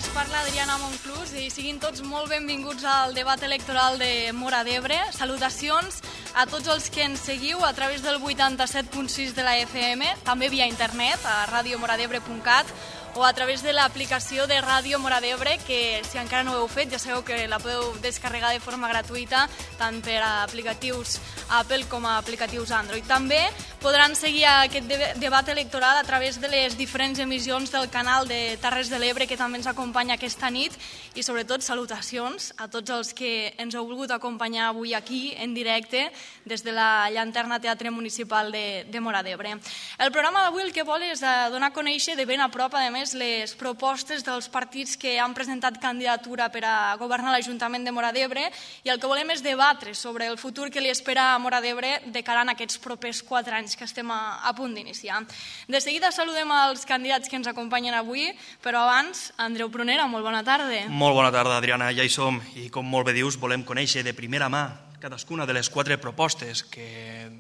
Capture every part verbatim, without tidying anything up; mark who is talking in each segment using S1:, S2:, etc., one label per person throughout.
S1: els parla Adriana Monclús i siguin tots molt benvinguts al debat electoral de Móra d'Ebre. Salutacions a tots els que ens seguiu a través del vuitanta-set punt sis de la F M, també via internet a radio moradebre punt cat o a través de l'aplicació de Ràdio Móra d'Ebre, que si encara no ho heu fet ja sabeu que la podeu descarregar de forma gratuïta tant per a aplicatius Apple com a aplicatius Android. També podran seguir aquest debat electoral a través de les diferents emissions del canal de Terres de l'Ebre, que també ens acompanya aquesta nit, i sobretot salutacions a tots els que ens heu volgut acompanyar avui aquí en directe des de la Llanterna Teatre Municipal de, de Móra d'Ebre. El programa d'avui el que vol és donar a conèixer de ben a prop, a més, les propostes dels partits que han presentat candidatura per a governar l'Ajuntament de Móra d'Ebre, i el que volem és debatre sobre el futur que li espera a Móra d'Ebre de cara a aquests propers quatre anys que estem a, a punt d'iniciar. De seguida saludem els candidats que ens acompanyen avui, però abans, Andreu Prunera, molt bona tarda.
S2: Molt bona tarda, Adriana, ja hi som, i com molt bé dius, volem conèixer de primera mà cadascuna de les quatre propostes que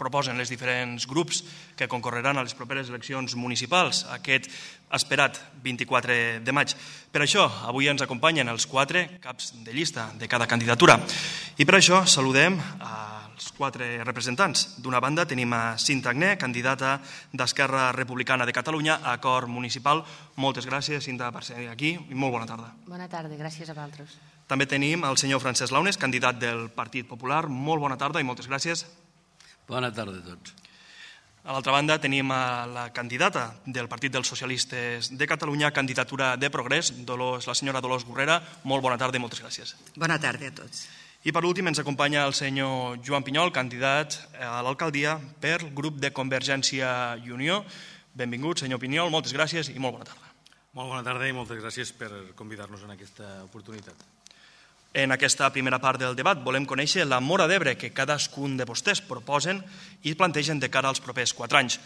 S2: proposen els diferents grups que concorreran a les properes eleccions municipals aquest esperat vint-i-quatre de maig. Per això, avui ens acompanyen els quatre caps de llista de cada candidatura. I per això saludem als quatre representants. D'una banda tenim a Cinta Agné, candidata d'Esquerra Republicana de Catalunya a Cor Municipal. Moltes gràcies, Cinta, per ser aquí i molt bona tarda.
S3: Bona tarda, gràcies a vosaltres.
S2: També tenim el senyor Francesc Launes, candidat del Partit Popular. Molt bona tarda i moltes gràcies.
S4: Bona tarda a tots.
S2: A l'altra banda tenim a la candidata del Partit dels Socialistes de Catalunya, candidatura de Progrés, Dolors, la senyora Dolors Gurrera. Molt bona tarda i moltes gràcies.
S5: Bona tarda a tots.
S2: I per últim ens acompanya el senyor Joan Pinyol, candidat a l'alcaldia per grup de Convergència i Unió. Benvingut, senyor Pinyol, moltes gràcies i molt bona tarda.
S6: Molt bona tarda i moltes gràcies per convidar-nos en aquesta oportunitat.
S2: En aquesta primera part del debat volem conèixer la Móra d'Ebre que cadascun de vostès proposen i plantegen de cara als propers quatre anys.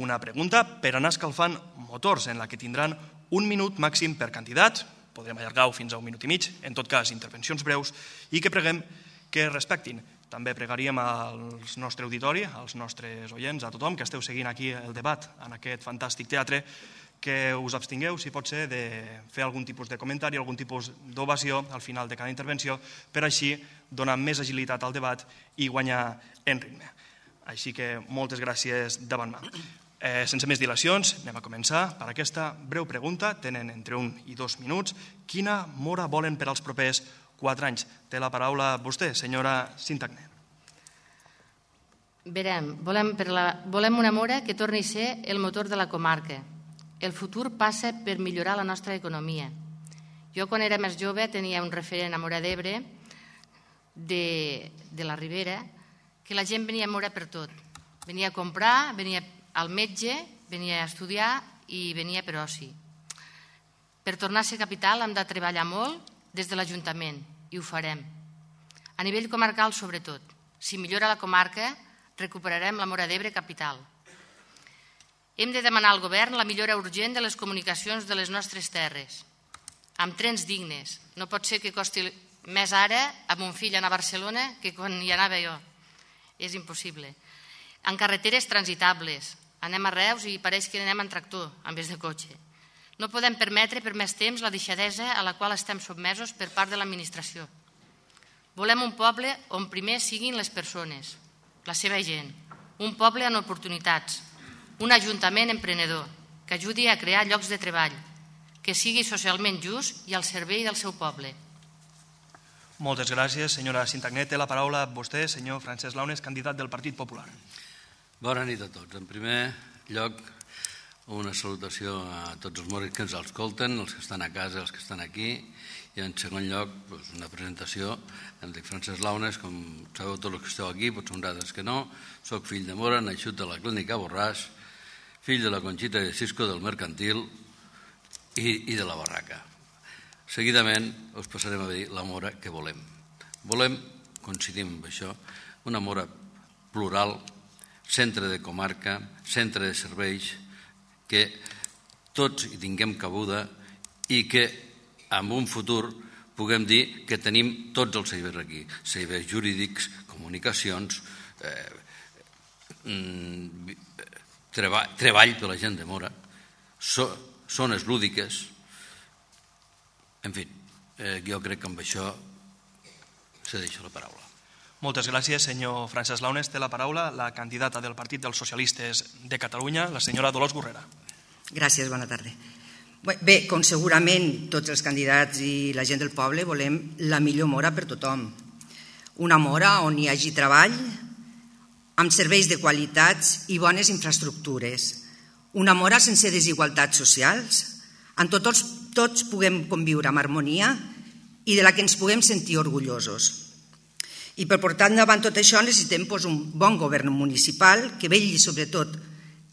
S2: Una pregunta per anar escalfant motors, en la que tindran un minut màxim per candidat, podrem allargar-ho fins a un minut i mig, en tot cas intervencions breus, i que preguem que respectin. També pregaríem al nostre auditori, als nostres oients, a tothom que esteu seguint aquí el debat en aquest fantàstic teatre, que us abstingueu, si pot ser, de fer algun tipus de comentari, algun tipus d'ovació al final de cada intervenció, per així donar més agilitat al debat i guanyar en ritme. Així que moltes gràcies davant mà. Eh, sense més dilacions, anem a començar per aquesta breu pregunta. Tenen entre un i dos minuts. Quina Móra volen per als propers quatre anys? Té la paraula vostè, senyora Cinta Agné.
S3: Verem, volem, per la, volem una Móra que torni a ser el motor de la comarca. El futur passa per millorar la nostra economia. Jo, quan era més jove, tenia un referent a Móra d'Ebre, de, de la Ribera, que la gent venia a Móra per tot. Venia a comprar, venia al metge, venia a estudiar i venia per oci. Per tornar a ser capital hem de treballar molt des de l'Ajuntament, i ho farem. A nivell comarcal, sobretot. Si millora la comarca, recuperarem la Móra d'Ebre capital. Hem de demanar al govern la millora urgent de les comunicacions de les nostres terres, amb trens dignes. No pot ser que costi més ara a mon fill anar a Barcelona que quan hi anava jo. És impossible. En carreteres transitables. Anem a Reus i pareix que anem en tractor en vez de cotxe. No podem permetre per més temps la deixadesa a la qual estem sotmesos per part de l'administració. Volem un poble on primer siguin les persones, la seva gent. Un poble amb oportunitats. Un ajuntament emprenedor que ajudi a crear llocs de treball, que sigui socialment just i al servei del seu poble.
S2: Moltes gràcies, senyora Cinta Agné. Té la paraula vostè, senyor Francesc Launes, candidat del Partit Popular.
S4: Bona nit a tots. En primer lloc, una salutació a tots els moris que ens escolten, els que estan a casa, els que estan aquí, i en segon lloc, una presentació. Em dic Francesc Launes, com sabeu tots els que esteu aquí, potser un altres que no. Soc fill de Móra, nascut a la clínica Borràs, fill de la Conxita de Cisco del Mercantil i, i de la Barraca. Seguidament us passarem a dir la Móra que volem. Volem, coincidim amb això, una Móra plural, centre de comarca, centre de serveis, que tots hi tinguem cabuda i que en un futur puguem dir que tenim tots els serveis aquí. Serveis jurídics, comunicacions, eh, mm, Treball, treball per la gent de Móra, so, zones lúdiques En fi, eh, jo crec que amb això se deixa la paraula.
S2: Moltes gràcies, senyor Francesc Launes. Té la paraula la candidata del Partit dels Socialistes de Catalunya, la senyora Dolors Gurrera.
S5: Gràcies, bona tarda. Bé, com segurament tots els candidats i la gent del poble volem la millor Mora per tothom. Una Mora on hi hagi treball, amb serveis de qualitats i bones infraestructures. Una Mora sense desigualtats socials, on tots, tots puguem conviure amb harmonia i de la que ens puguem sentir orgullosos. I per portar endavant tot això necessitem un bon govern municipal que vetlli sobretot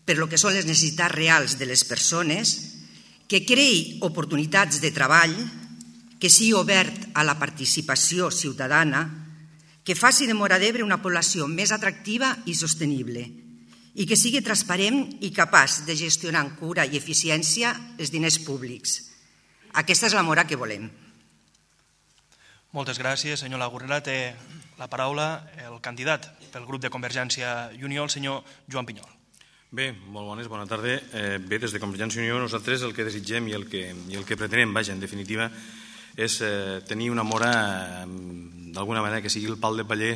S5: per lo que són les necessitats reals de les persones, que creï oportunitats de treball, que sigui obert a la participació ciutadana, que faci de Móra d'Ebre una població més atractiva i sostenible i que sigui transparent i capaç de gestionar amb cura i eficiència els diners públics. Aquesta és la Mora que volem.
S2: Moltes gràcies, senyor Gurrera. Té la paraula el candidat pel grup de Convergència i Unió, el senyor Joan Pinyol.
S6: Bé, molt bones, bona tarda. Eh, bé, des de Convergència i Unió nosaltres el que desitgem i el que, i el que pretenem, vaja, en definitiva, és eh, tenir una Mora eh, d'alguna manera que sigui el pal de paller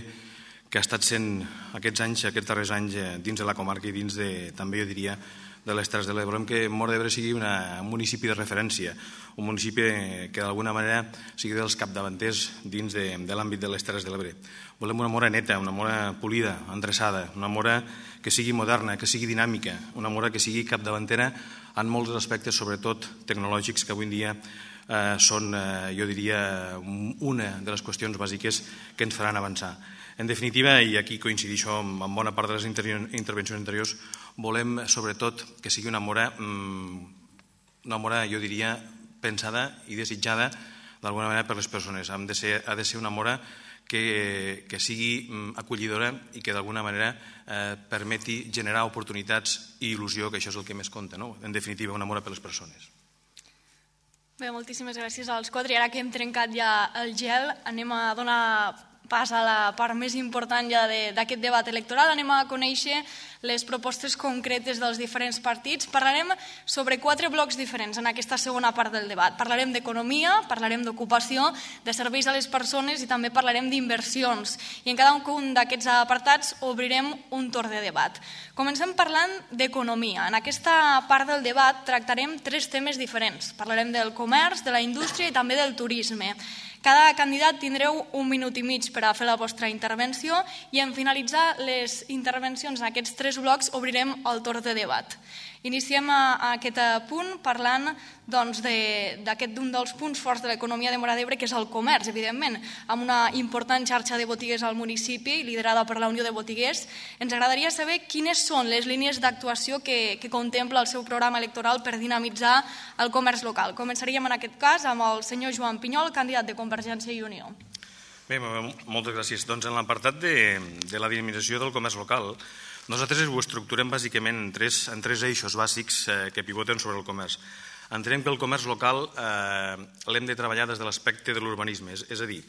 S6: que ha estat sent aquests anys, aquests darrers anys eh, dins de la comarca i dins de, també jo diria, de les Terres de l'Ebre. Volem que Móra d'Ebre sigui una, un municipi de referència, un municipi que d'alguna manera sigui dels capdavanters dins de, de l'àmbit de les Terres de l'Ebre. Volem una Mora neta, una Mora polida, endreçada, una Mora que sigui moderna, que sigui dinàmica, una Mora que sigui capdavantera en molts aspectes, sobretot tecnològics, que avui en dia eh, són, eh, jo diria, una de les qüestions bàsiques que ens faran avançar. En definitiva, i aquí coincidixo amb bona part de les intervencions anteriors, volem sobretot que sigui una Mora, una Mora, jo diria, pensada i desitjada d'alguna manera per les persones. Ha de ser, ha de ser una Mora que, que sigui acollidora i que d'alguna manera eh, permeti generar oportunitats i il·lusió, que això és el que més compta, no? En definitiva, una Mora per les persones.
S1: Bé, moltíssimes gràcies als quatre. I ara que hem trencat ja el gel, anem a donar pas a la part més important ja d'aquest debat electoral. Anem a conèixer les propostes concretes dels diferents partits. Parlarem sobre quatre blocs diferents en aquesta segona part del debat. Parlarem d'economia, parlarem d'ocupació, de serveis a les persones i també parlarem d'inversions. I en cada un d'aquests apartats obrirem un torn de debat. Comencem parlant d'economia. En aquesta part del debat tractarem tres temes diferents. Parlarem del comerç, de la indústria i també del turisme. Cada candidat tindreu un minut i mig per a fer la vostra intervenció i en finalitzar les intervencions en aquests tres blocs obrirem el torn de debat. Iniciem a aquest punt parlant d'aquest d'un dels punts forts de l'economia de Móra d'Ebre, que és el comerç, evidentment, amb una important xarxa de botigues al municipi, liderada per la Unió de Botiguers. Ens agradaria saber quines són les línies d'actuació que, que contempla el seu programa electoral per dinamitzar el comerç local. Començaríem en aquest cas amb el senyor Joan Pinyol, candidat de Convergència i Unió.
S6: Bé, moltes gràcies. Doncs en l'apartat de, de la dinamització del comerç local, nosaltres ho estructurem bàsicament en tres, en tres eixos bàsics eh, que pivoten sobre el comerç. Entenem que el comerç local eh, l'hem de treballar des de l'aspecte de l'urbanisme, és, és a dir,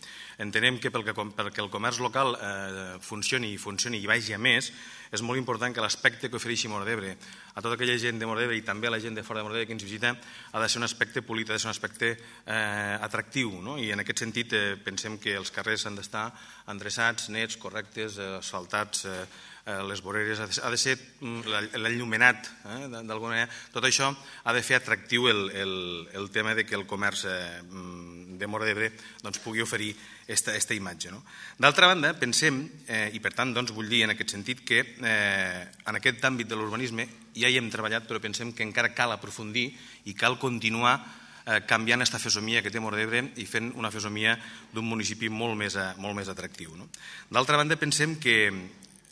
S6: entenem que perquè, perquè el comerç local eh, funcioni i funcioni i vagi a més, és molt important que l'aspecte que ofereixi Móra d'Ebre a tota aquella gent de Móra d'Ebre i també a la gent de fora de Móra d'Ebre que ens visita ha de ser un aspecte polit, ha de ser un aspecte eh, atractiu, no? I en aquest sentit eh, pensem que els carrers han d'estar endreçats, nets, correctes, eh, asfaltats, eh, les voreres, ha de ser l'enllumenat, eh, d'alguna manera. Tot això ha de fer atractiu el, el, el tema de que el comerç eh, de Móra d'Ebre doncs, pugui oferir aquesta imatge. No? D'altra banda, pensem, eh, i per tant doncs, vull dir en aquest sentit, que eh, en aquest àmbit de l'urbanisme ja hi hem treballat, però pensem que encara cal aprofundir i cal continuar eh, canviant aquesta fesomia que té Móra d'Ebre i fent una fesomia d'un municipi molt més, molt més atractiu. No? D'altra banda, pensem que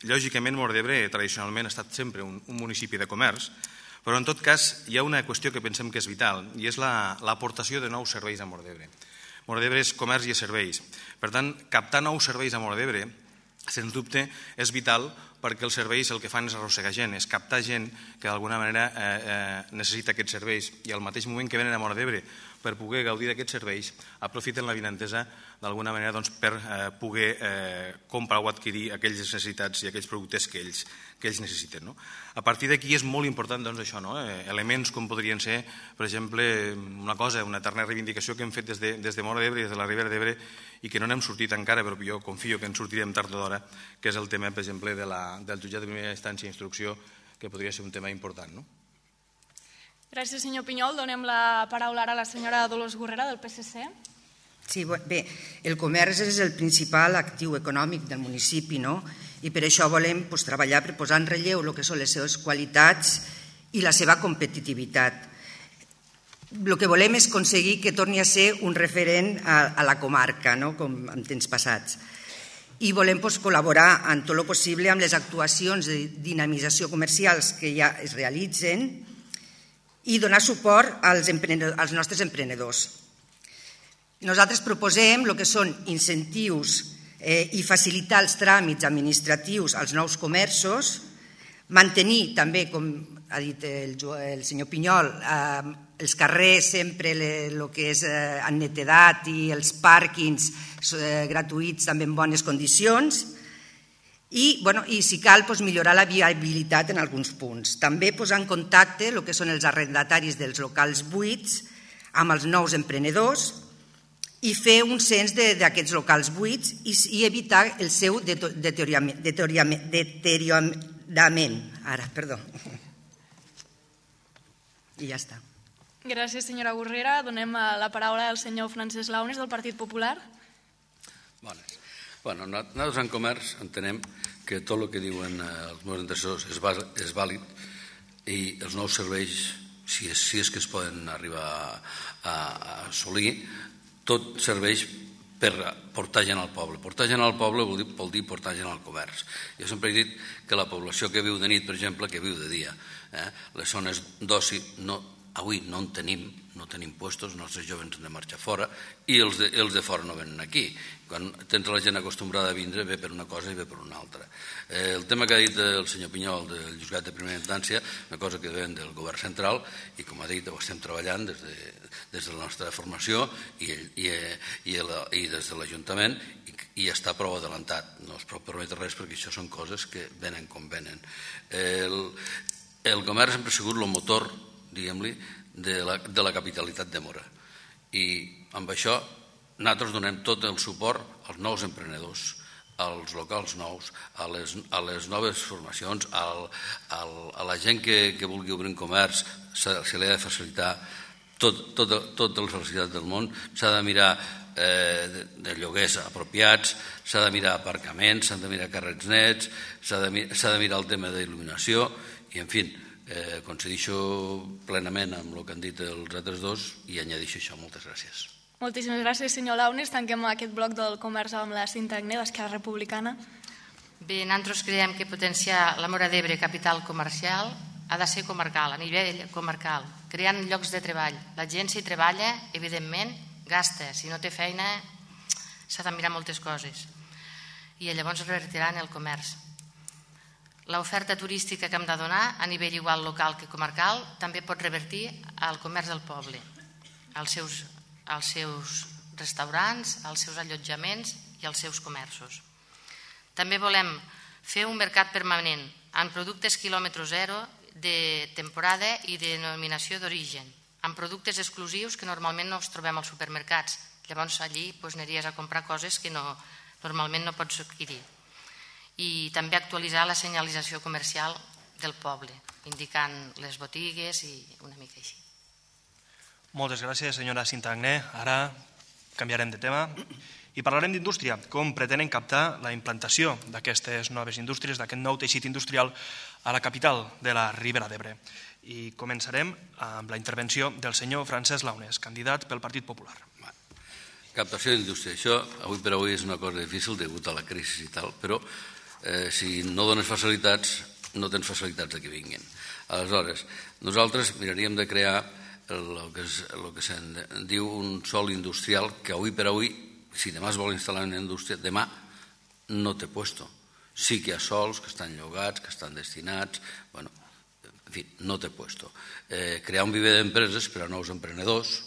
S6: lògicament, Móra d'Ebre tradicionalment ha estat sempre un, un municipi de comerç, però en tot cas hi ha una qüestió que pensem que és vital i és l'aportació la, de nous serveis a Móra d'Ebre. Móra d'Ebre és comerç i serveis. Per tant, captar nous serveis a Móra d'Ebre, sens dubte, és vital perquè els serveis el que fan és arrossegar gent, és captar gent que d'alguna manera eh, eh, necessita aquests serveis, i al mateix moment que venen a Móra d'Ebre per poder gaudir d'aquests serveis, aprofiten l'avinentesa d'alguna manera doncs, per eh, poder eh, comprar o adquirir aquelles necessitats i aquells productes que ells, que ells necessiten. No? A partir d'aquí és molt important doncs, això, no? eh, elements com podrien ser, per exemple, una cosa, una eterna reivindicació que hem fet des de, des de Móra d'Ebre, des de la Ribera d'Ebre, i que no n'hem sortit encara, però jo confio que en sortirem tard o d'hora, que és el tema, per exemple, de la, del jutjat de primera instància i instrucció, que podria ser un tema important. No?
S1: Gràcies, senyor Pinyol. Donem la paraula ara a la senyora Dolors Gurrera, del P S C.
S5: Sí, bé, el comerç és el principal actiu econòmic del municipi, no? I per això volem pues, treballar per posar en relleu el que són les seves qualitats i la seva competitivitat. El que volem és aconseguir que torni a ser un referent a, a la comarca, no? Com en temps passats. I volem pues, col·laborar en tot el possible amb les actuacions de dinamització comercials que ja es realitzen i donar suport als, als nostres emprenedors. Nosaltres proposem el que són incentius eh, i facilitar els tràmits administratius als nous comerços, mantenir també, com ha dit el, el senyor Pinyol, eh, els carrers sempre el que és eh, en netedat i els pàrquings eh, gratuïts també en bones condicions, i, bueno, i si cal, doncs, millorar la viabilitat en alguns punts. També posar en contacte el que són els arrendataris dels locals buits amb els nous emprenedors i fer un cens d'aquests locals buits i, i evitar el seu deteriorament. deteriorament. Ara, perdó. I ja està.
S1: Gràcies, senyora Gurrera. Donem la paraula al senyor Francesc Launes, del Partit Popular.
S4: Bones. Bueno, nosaltres en comerç entenem que tot el que diuen els meus antecessors és, és vàlid i els nous serveis, si és, si és que es poden arribar a, a assolir, tot serveix per portar gent al poble. Portar gent al poble vol dir, vol dir portar gent al comerç. Jo sempre he dit que la població que viu de nit, per exemple, que viu de dia, eh, les zones d'oci, no, avui no en tenim, no tenim puestos, els nostres joves han de marxar fora i els de, els de fora no venen aquí. Quan tens la gent acostumbrada a vindre, ve per una cosa i ve per una altra. Eh, el tema que ha dit el senyor Pinyol del jutjat de primera instància, una cosa que ven del govern central i, com ha dit, ho estem treballant des de, des de la nostra formació i, i, i, la, i des de l'Ajuntament i, i està prou adelantat. No es pot permetre res perquè això són coses que venen com venen. El, el comerç sempre ha sigut el motor, diguem-li, de la, de la capitalitat de Móra. I amb això nosaltres donem tot el suport als nous emprenedors, als locals nous, a les, a les noves formacions, al, al, a la gent que, que vulgui obrir un comerç, se, se li ha de facilitar tot, tot, totes les facilitats del món, s'ha de mirar eh, de, de lloguers apropiats, s'ha de mirar aparcaments, s'han de mirar carrets nets, s'ha de, s'ha de mirar el tema d'il·luminació i, en fi, eh, coincideixo plenament amb el que han dit els altres dos i añadixo això. Moltes gràcies.
S1: Moltíssimes gràcies, senyor Launes. Tanquem aquest bloc del comerç amb la Cinta Agné, d'Esquerra Republicana.
S3: Bé, nosaltres creiem que potenciar la Móra d'Ebre capital comercial ha de ser comarcal, a nivell comarcal, creant llocs de treball. La gent, si treballa, evidentment, gasta. Si no té feina, s'ha de mirar moltes coses. I llavors revertirà en el comerç. L'oferta turística que hem de donar, a nivell igual local que comarcal, també pot revertir al comerç del poble, als seus, als seus restaurants, als seus allotjaments i als seus comerços. També volem fer un mercat permanent en productes quilòmetre zero de temporada i de denominació d'origen, amb productes exclusius que normalment no els trobem als supermercats. Llavors allí doncs, aniries a comprar coses que no, normalment no pots adquirir. I també actualitzar la senyalització comercial del poble, indicant les botigues i una mica així.
S2: Moltes gràcies, senyora Cinta Agné. Ara canviarem de tema i parlarem d'indústria, com pretenen captar la implantació d'aquestes noves indústries, d'aquest nou teixit industrial a la capital de la Ribera d'Ebre. I començarem amb la intervenció del senyor Francesc Launes, candidat pel Partit Popular.
S4: Captació d'indústria. Això, avui per avui, és una cosa difícil degut a la crisi i tal, però eh, si no dones facilitats, no tens facilitats que vinguin. Aleshores, nosaltres miraríem de crear el que, és, el que se'n diu un sòl industrial que avui per avui, si demà es vol instal·lar en indústria, demà no té puesto. Sí que hi ha sols que estan llogats, que estan destinats, bueno, en fi, no té puesto. Eh, crear un viver d'empreses per a nous emprenedors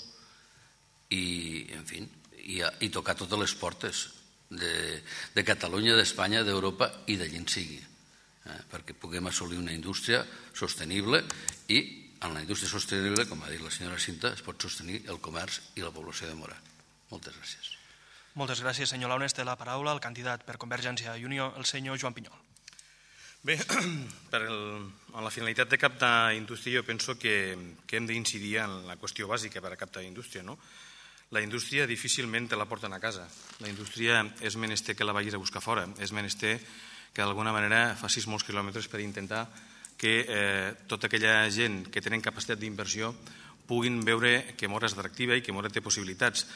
S4: i, en fi, i, i tocar totes les portes de, de Catalunya, d'Espanya, d'Europa i d'allí en sigui, eh, perquè puguem assolir una indústria sostenible i en la indústria sostenible, com ha dit la senyora Cinta, es pot sostenir el comerç i la població de Mora. Moltes gràcies.
S2: Moltes gràcies, senyor Launes. Té la paraula el candidat per Convergència i Unió, el senyor Joan Pinyol.
S6: Bé, per el, en la finalitat de captar indústria jo penso que, que hem d'incidir en la qüestió bàsica per a captar indústria, no? La indústria difícilment te la porten a casa. La indústria és menester que la vagis a buscar fora, és menester que d'alguna manera facis molts quilòmetres per intentar que eh, tota aquella gent que tenen capacitat d'inversió puguin veure que Mora és atractiva i que Mora té possibilitats.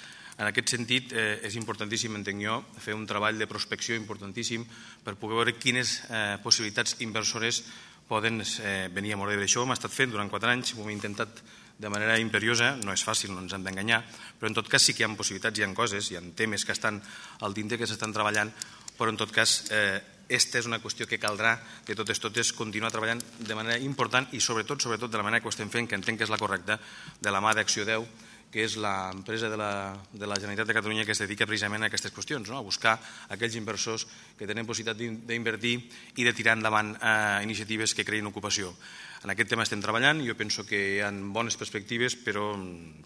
S6: En aquest sentit, eh, és importantíssim, entenc jo, fer un treball de prospecció importantíssim per poder veure quines eh, possibilitats inversores poden eh, venir a Móra d'Ebre. Això ho hem estat fent durant quatre anys, ho hem intentat de manera imperiosa, no és fàcil, no ens hem d'enganyar, però en tot cas sí que hi ha possibilitats, hi ha coses, hi ha temes que estan al dintre que s'estan treballant, però en tot cas eh, aquesta és una qüestió que caldrà de totes totes continuar treballant de manera important i sobretot, sobretot de la manera que ho estem fent, que entenc que és la correcta, de la mà d'Acció deu, que és l'empresa de, la, de la Generalitat de Catalunya que es dedica precisament a aquestes qüestions, no? A buscar aquells inversors que tenen possibilitat d'invertir i de tirar endavant eh, iniciatives que creïn ocupació. En aquest tema estem treballant, jo penso que hi ha bones perspectives, però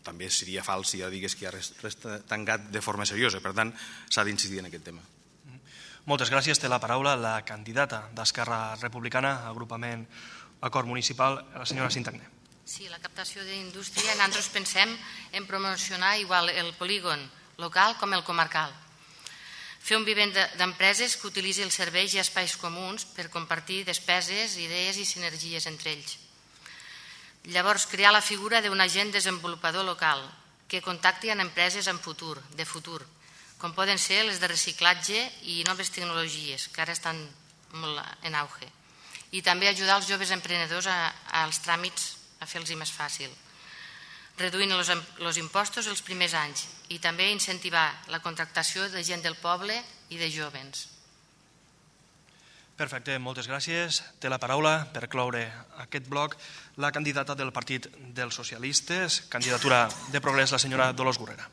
S6: també seria fals si ja digués que ja resta tancat de forma seriosa. Per tant, s'ha d'incidir en aquest tema.
S2: Moltes gràcies. Té la paraula la candidata d'Esquerra Republicana, agrupament Acord Municipal, la senyora Sintagné.
S3: Sí, la captació d'indústria, nosaltres pensem en promocionar igual el polígon local com el comarcal. Fer un vivent d'empreses que utilitzi els serveis i espais comuns per compartir despeses, idees i sinergies entre ells. Llavors, crear la figura d'un agent desenvolupador local que contacti amb empreses en futur, de futur, com poden ser les de reciclatge i noves tecnologies, que ara estan molt en auge. I també ajudar els joves emprenedors als tràmits a fer-los més fàcil, reduint els impostos els primers anys i també incentivar la contractació de gent del poble i de jóvens.
S2: Perfecte, moltes gràcies. Té la paraula per cloure aquest bloc la candidata del Partit dels Socialistes, candidatura de Progrés, la senyora Dolors Gurrera.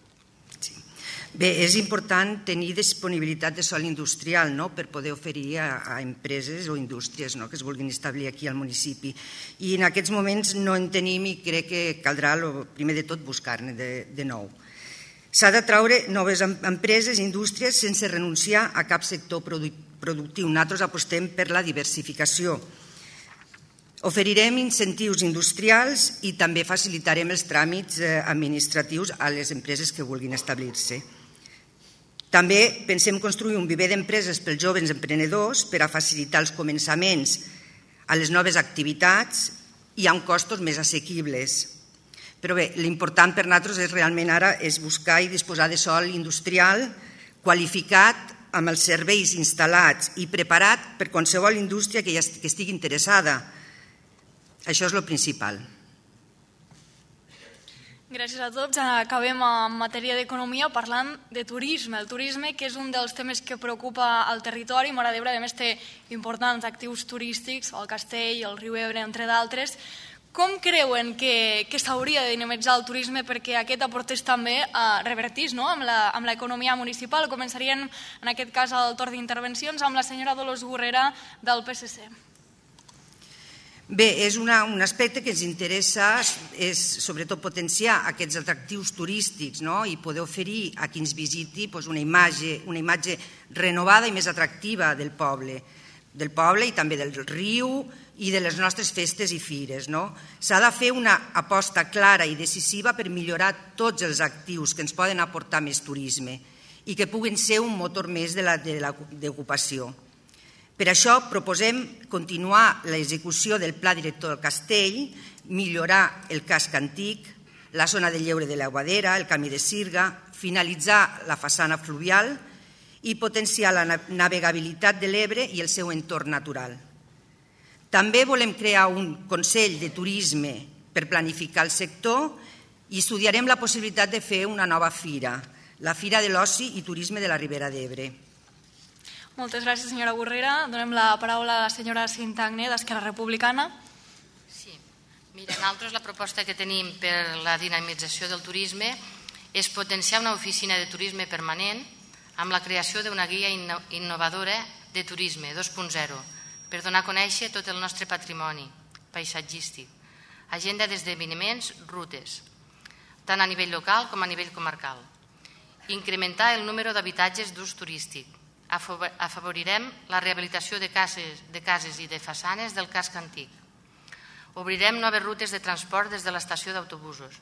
S5: Bé, és important tenir disponibilitat de sòl industrial, no?, per poder oferir a, a empreses o indústries, no?, que es vulguin establir aquí al municipi. I en aquests moments no en tenim i crec que caldrà, lo, primer de tot, buscar-ne de, de nou. S'ha de traure noves empreses i indústries sense renunciar a cap sector productiu. Nosaltres apostem per la diversificació. Oferirem incentius industrials i també facilitarem els tràmits administratius a les empreses que vulguin establir-se. També pensem construir un viver d'empreses pels joves emprenedors per a facilitar els començaments a les noves activitats i amb costos més assequibles. Però bé, l'important per nosaltres és realment ara és buscar i disposar de sòl industrial qualificat amb els serveis instal·lats i preparat per qualsevol indústria que estigui interessada. Això és el principal.
S1: Gràcies a tots. Acabem en matèria d'economia parlant de turisme. El turisme, que és un dels temes que preocupa al territori. Móra d'Ebre, a més, té importants actius turístics, el Castell, el Riu Ebre, entre d'altres. Com creuen que, que s'hauria de dinamitzar el turisme perquè aquest aportés també a revertís, no?, amb l'economia municipal? Començarien, en aquest cas, el torn d'intervencions amb la senyora Dolors Gurrera del P S C.
S5: Bé, és una, un aspecte que ens interessa, és sobretot potenciar aquests atractius turístics, no?, i poder oferir a qui ens visiti doncs, una, imatge, una imatge renovada i més atractiva del poble, del poble i també del riu i de les nostres festes i fires. No? S'ha de fer una aposta clara i decisiva per millorar tots els actius que ens poden aportar més turisme i que puguin ser un motor més d'ocupació. Per això proposem continuar l'execució del Pla Director del Castell, millorar el casc antic, la zona de lleure de l'Aguadera, el camí de Sirga, finalitzar la façana fluvial i potenciar la navegabilitat de l'Ebre i el seu entorn natural. També volem crear un Consell de Turisme per planificar el sector i estudiarem la possibilitat de fer una nova fira, la Fira de l'Oci i Turisme de la Ribera d'Ebre.
S1: Moltes gràcies, senyora Borrera. Donem la paraula a la senyora Cinta Agné, d'Esquerra Republicana.
S3: Sí. Mira, nosaltres la proposta que tenim per la dinamització del turisme és potenciar una oficina de turisme permanent amb la creació d'una guia innovadora de turisme dos punt zero per donar a conèixer tot el nostre patrimoni paisatgístic, agenda d'esdeveniments, rutes, tant a nivell local com a nivell comarcal. Incrementar el número d'habitatges d'ús turístic. Afavorirem la rehabilitació de cases, de cases i de façanes del casc antic. Obrirem noves rutes de transport des de l'estació d'autobusos.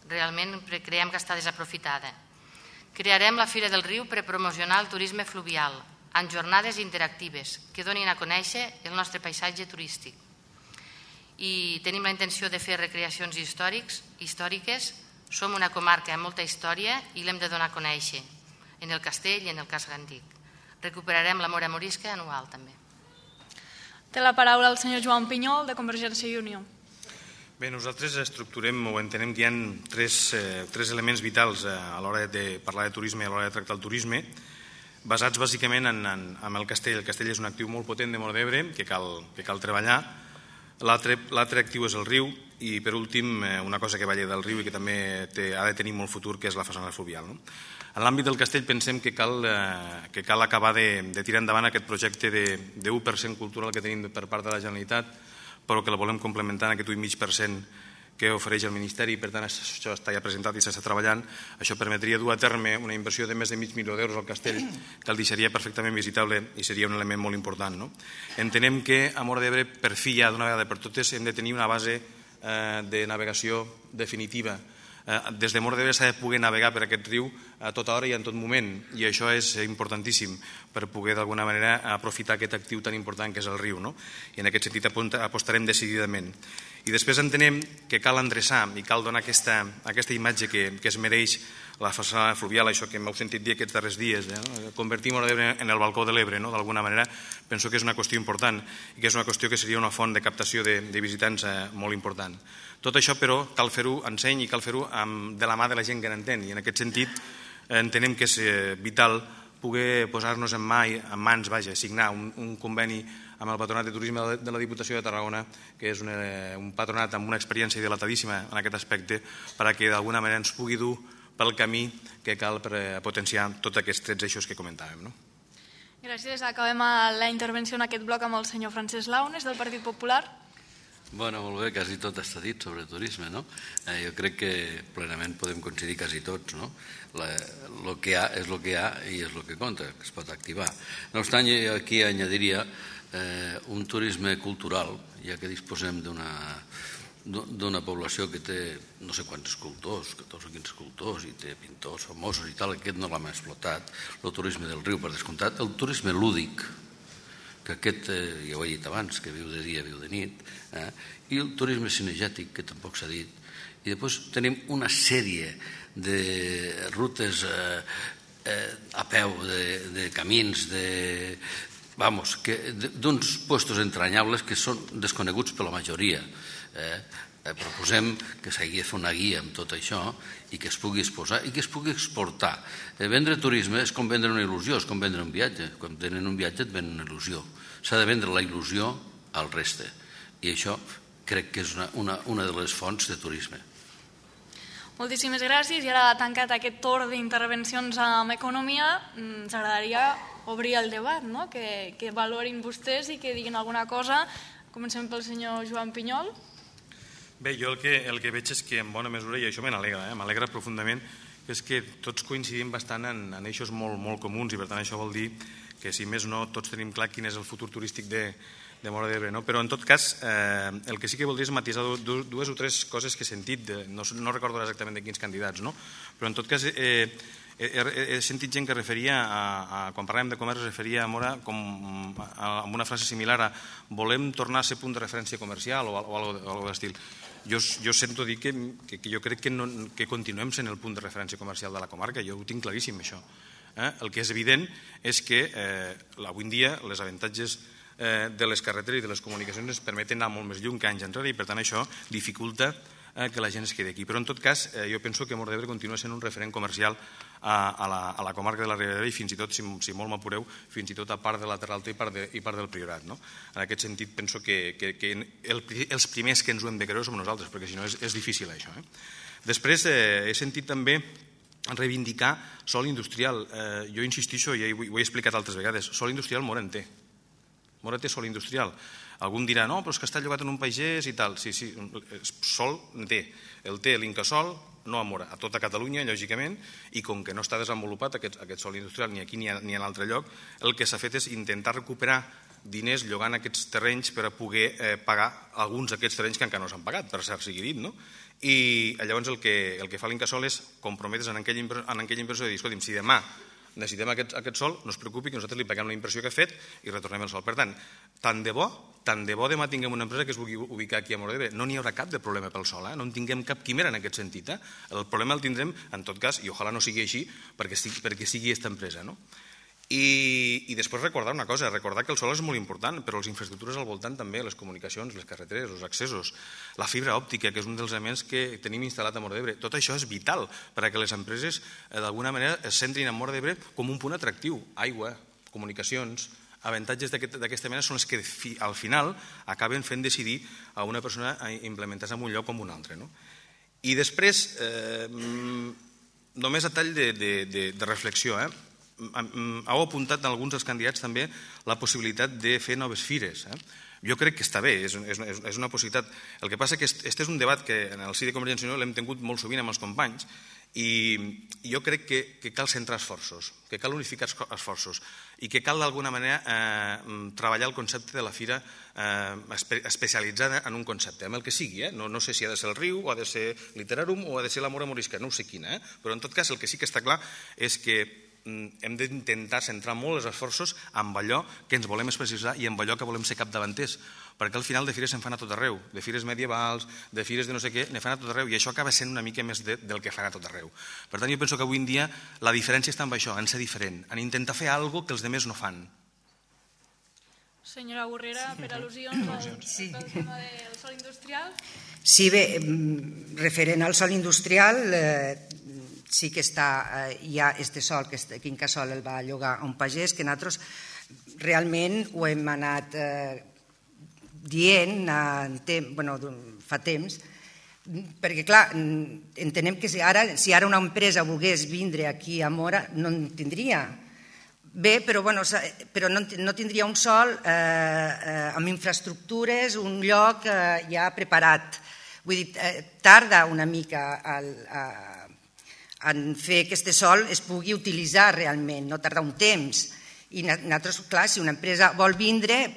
S3: Realment creiem que està desaprofitada. Crearem la Fira del Riu per promocionar el turisme fluvial, amb jornades interactives que donin a conèixer el nostre paisatge turístic. I tenim la intenció de fer recreacions històrics, històriques. Som una comarca amb molta història i l'hem de donar a conèixer en el castell i en el casc antic. Recuperarem la mora morisca anual també.
S1: Té la paraula el senyor Joan Pinyol, de Convergència i Unió.
S6: Bé, nosaltres estructurem o entenem que hi ha tres, eh, tres elements vitals a l'hora de parlar de turisme i a l'hora de tractar el turisme, basats bàsicament en, en, en el castell. El castell és un actiu molt potent de Móra d'Ebre que cal, que cal treballar. L'altre actiu és el riu i, per últim, una cosa que va llegar del riu i que també té, ha de tenir molt futur, que és la façana fluvial. No? En l'àmbit del castell pensem que cal, eh, que cal acabar de, de tirar endavant aquest projecte de u per cent cultural que tenim per part de la Generalitat, però que la volem complementar en aquest u coma cinc per cent que ofereix el Ministeri, per tant això està ja presentat i s'està treballant. Això permetria dur a terme una inversió de més de mig milió d'euros al castell, que el deixaria perfectament visitable i seria un element molt important. No? Entenem que a Móra d'Ebre, per fi ja d'una vegada per totes, hem de tenir una base eh, de navegació definitiva. Eh, des de Móra d'Ebre s'ha de poder navegar per aquest riu a tota hora i en tot moment, i això és importantíssim per poder d'alguna manera aprofitar aquest actiu tan important que és el riu. No? I en aquest sentit apostarem decididament. I després entenem que cal endreçar i cal donar aquesta, aquesta imatge que, que es mereix la façana fluvial, això que m'heu sentit dir aquests darrers dies, eh? Convertir Móra d'Ebre en el balcó de l'Ebre, no? D'alguna manera, penso que és una qüestió important i que és una qüestió que seria una font de captació de, de visitants eh, molt important. Tot això, però, cal fer-ho en seny i cal fer-ho de la mà de la gent que n'entén, i en aquest sentit eh, entenem que és eh, vital poder posar-nos en, mà, en mans, vaja, signar un, un conveni amb el Patronat de Turisme de la Diputació de Tarragona, que és un, un patronat amb una experiència dilatadíssima en aquest aspecte, perquè d'alguna manera ens pugui dur pel camí que cal per potenciar tots aquests tres eixos que comentàvem. No?
S1: Gràcies. Acabem la intervenció en aquest bloc amb el senyor Francesc Launes, del Partit Popular.
S4: Bueno, molt bé, quasi tot està dit sobre turisme, no? Eh, jo crec que plenament podem coincidir quasi tots, no? El que hi ha és el que hi ha i és el que compta, que es pot activar. No obstant, jo aquí añadiria eh, un turisme cultural, ja que disposem d'una d'una població que té no sé quants escultors, catorze o quinze escultors, i té pintors famosos i tal, aquest no l'hem explotat, el turisme del riu, per descomptat, el turisme lúdic, que aquest, eh, ja ho he dit abans, que viu de dia, viu de nit, eh? I el turisme cinegètic, que tampoc s'ha dit, i després tenim una sèrie de rutes eh, eh, a peu, de, de camins, de, vamos, que, d'uns puestos entranyables que són desconeguts per la majoria. Eh? Eh, proposem que s'hagi de fer una guia amb tot això i que es pugui exposar i que es pugui exportar. Eh, vendre turisme és com vendre una il·lusió, és com vendre un viatge. Quan tenen un viatge et venen una il·lusió. S'ha de vendre la il·lusió al reste. I això crec que és una, una, una de les fonts de turisme.
S1: Moltíssimes gràcies. I ara, tancat aquest torn d'intervencions amb economia, ens agradaria obrir el debat, no? que, que valorin vostès i que diguin alguna cosa. Comencem pel senyor Joan Pinyol.
S6: Bé, jo el que, el que veig és que en bona mesura, i això me n'alegra, eh? m'alegra profundament, és que tots coincidim bastant en, en eixos molt, molt comuns, i per tant això vol dir que, si més no, tots tenim clar quin és el futur turístic de, de Móra d'Ebre. No? Però, en tot cas, eh, el que sí que voldria és matisar dues o tres coses que he sentit, de, no, no recordo exactament de quins candidats, no? Però, en tot cas, eh, he, he sentit gent que referia, a, a, quan parlàvem de comerç, referia a Móra com, a, amb una frase similar a volem tornar a ser punt de referència comercial o, o alguna d'estil. Jo, jo sento dir que, que, que jo crec que, no, que continuem sent el punt de referència comercial de la comarca, jo ho tinc claríssim, això. Eh? El que és evident és que eh, avui en dia les avantatges eh, de les carreteres i de les comunicacions ens permeten anar molt més lluny que anys enrere, i per tant això dificulta que la gent es quedi aquí. Però en tot cas, jo penso que Móra d'Ebre continua sent un referent comercial a la comarca de la Ribera d'Ebre i fins i tot, si molt m'apureu, fins i tot a part de la Terra Alta i part del Priorat. En aquest sentit, penso que els primers que ens ho hem de creure som nosaltres, perquè si no és difícil això. Després, he sentit també reivindicar sòl industrial. Jo insistixo, i ho he explicat altres vegades, sòl industrial Móra en té. Móra té sòl industrial. Algú em dirà, no, però és que està llogat en un pagès i tal. Sí, sí, sòl en té. El té l'Incasòl, no a Móra, a tota Catalunya, lògicament, i com que no està desenvolupat aquest sòl industrial ni aquí ni en altre lloc, el que s'ha fet és intentar recuperar diners llogant aquests terrenys per a poder pagar alguns d'aquests terrenys que encara no s'han pagat, per cert sigui dit, no? I llavors el que fa l'Incasòl és comprometre's en aquella inversió de dir, escolti'm, si demà necessitem aquest sòl, no es preocupi que nosaltres li paguem la inversió que ha fet i retornem el sòl. Per tant, tant de bo, tant de bo demà tinguem una empresa que es vulgui ubicar aquí a Móra d'Ebre. No n'hi haurà cap de problema pel sòl, no en tinguem cap quimera en aquest sentit. El problema el tindrem, en tot cas, i ojalà no sigui així, perquè sigui aquesta empresa. I després recordar una cosa, recordar que el sòl és molt important, però les infraestructures al voltant també, les comunicacions, les carreteres, els accessos, la fibra òptica, que és un dels elements que tenim instal·lat a Móra d'Ebre. Tot això és vital perquè les empreses d'alguna manera es centrin a Móra d'Ebre com un punt atractiu. Aigua, comunicacions, avantatges d'aquesta mena són els que al final acaben fent decidir a una persona a implementar-se en un lloc com un altre. I després, només a tall de reflexió, heu apuntat en alguns dels candidats també la possibilitat de fer noves fires. Jo crec que està bé, és una possibilitat. El que passa que aquest és un debat que en el si de Convergència i Unió l'hem tingut molt sovint amb els companys i jo crec que cal centrar esforços, que cal unificar esforços i que cal d'alguna manera treballar el concepte de la fira especialitzada en un concepte, amb el que sigui. No sé si ha de ser el riu, o ha de ser Literàrum, o ha de ser la Móra Morisca, no ho sé quina, però en tot cas el que sí que està clar és que hem d'intentar centrar molt els esforços en allò que ens volem especialitzar i en allò que volem ser capdavanters, perquè al final de fires se'n fan a tot arreu, de fires medievals, de fires de no sé què, ne fan a tot arreu, i això acaba sent una mica més del que fan a tot arreu. Per tant, jo penso que avui en dia la diferència està en això, en ser diferent, en intentar fer alguna cosa que els altres no fan.
S1: Senyora Borrera, per al·lusions al tema del sòl industrial?
S5: Sí, bé, referent al sòl industrial, sí que està, hi ha este sòl, que Incasòl el va llogar a un pagès, que nosaltres realment ho hem anat dient fa temps, perquè clar, entenem que si ara una empresa volgués vindre aquí a Móra no en tindria. Bé, però no tindria un sòl amb infraestructures, un lloc ja preparat. Vull dir, tarda una mica a en fer que aquest sòl es pugui utilitzar realment, no tarda un temps. I nosaltres, clar, si una empresa vol vindre,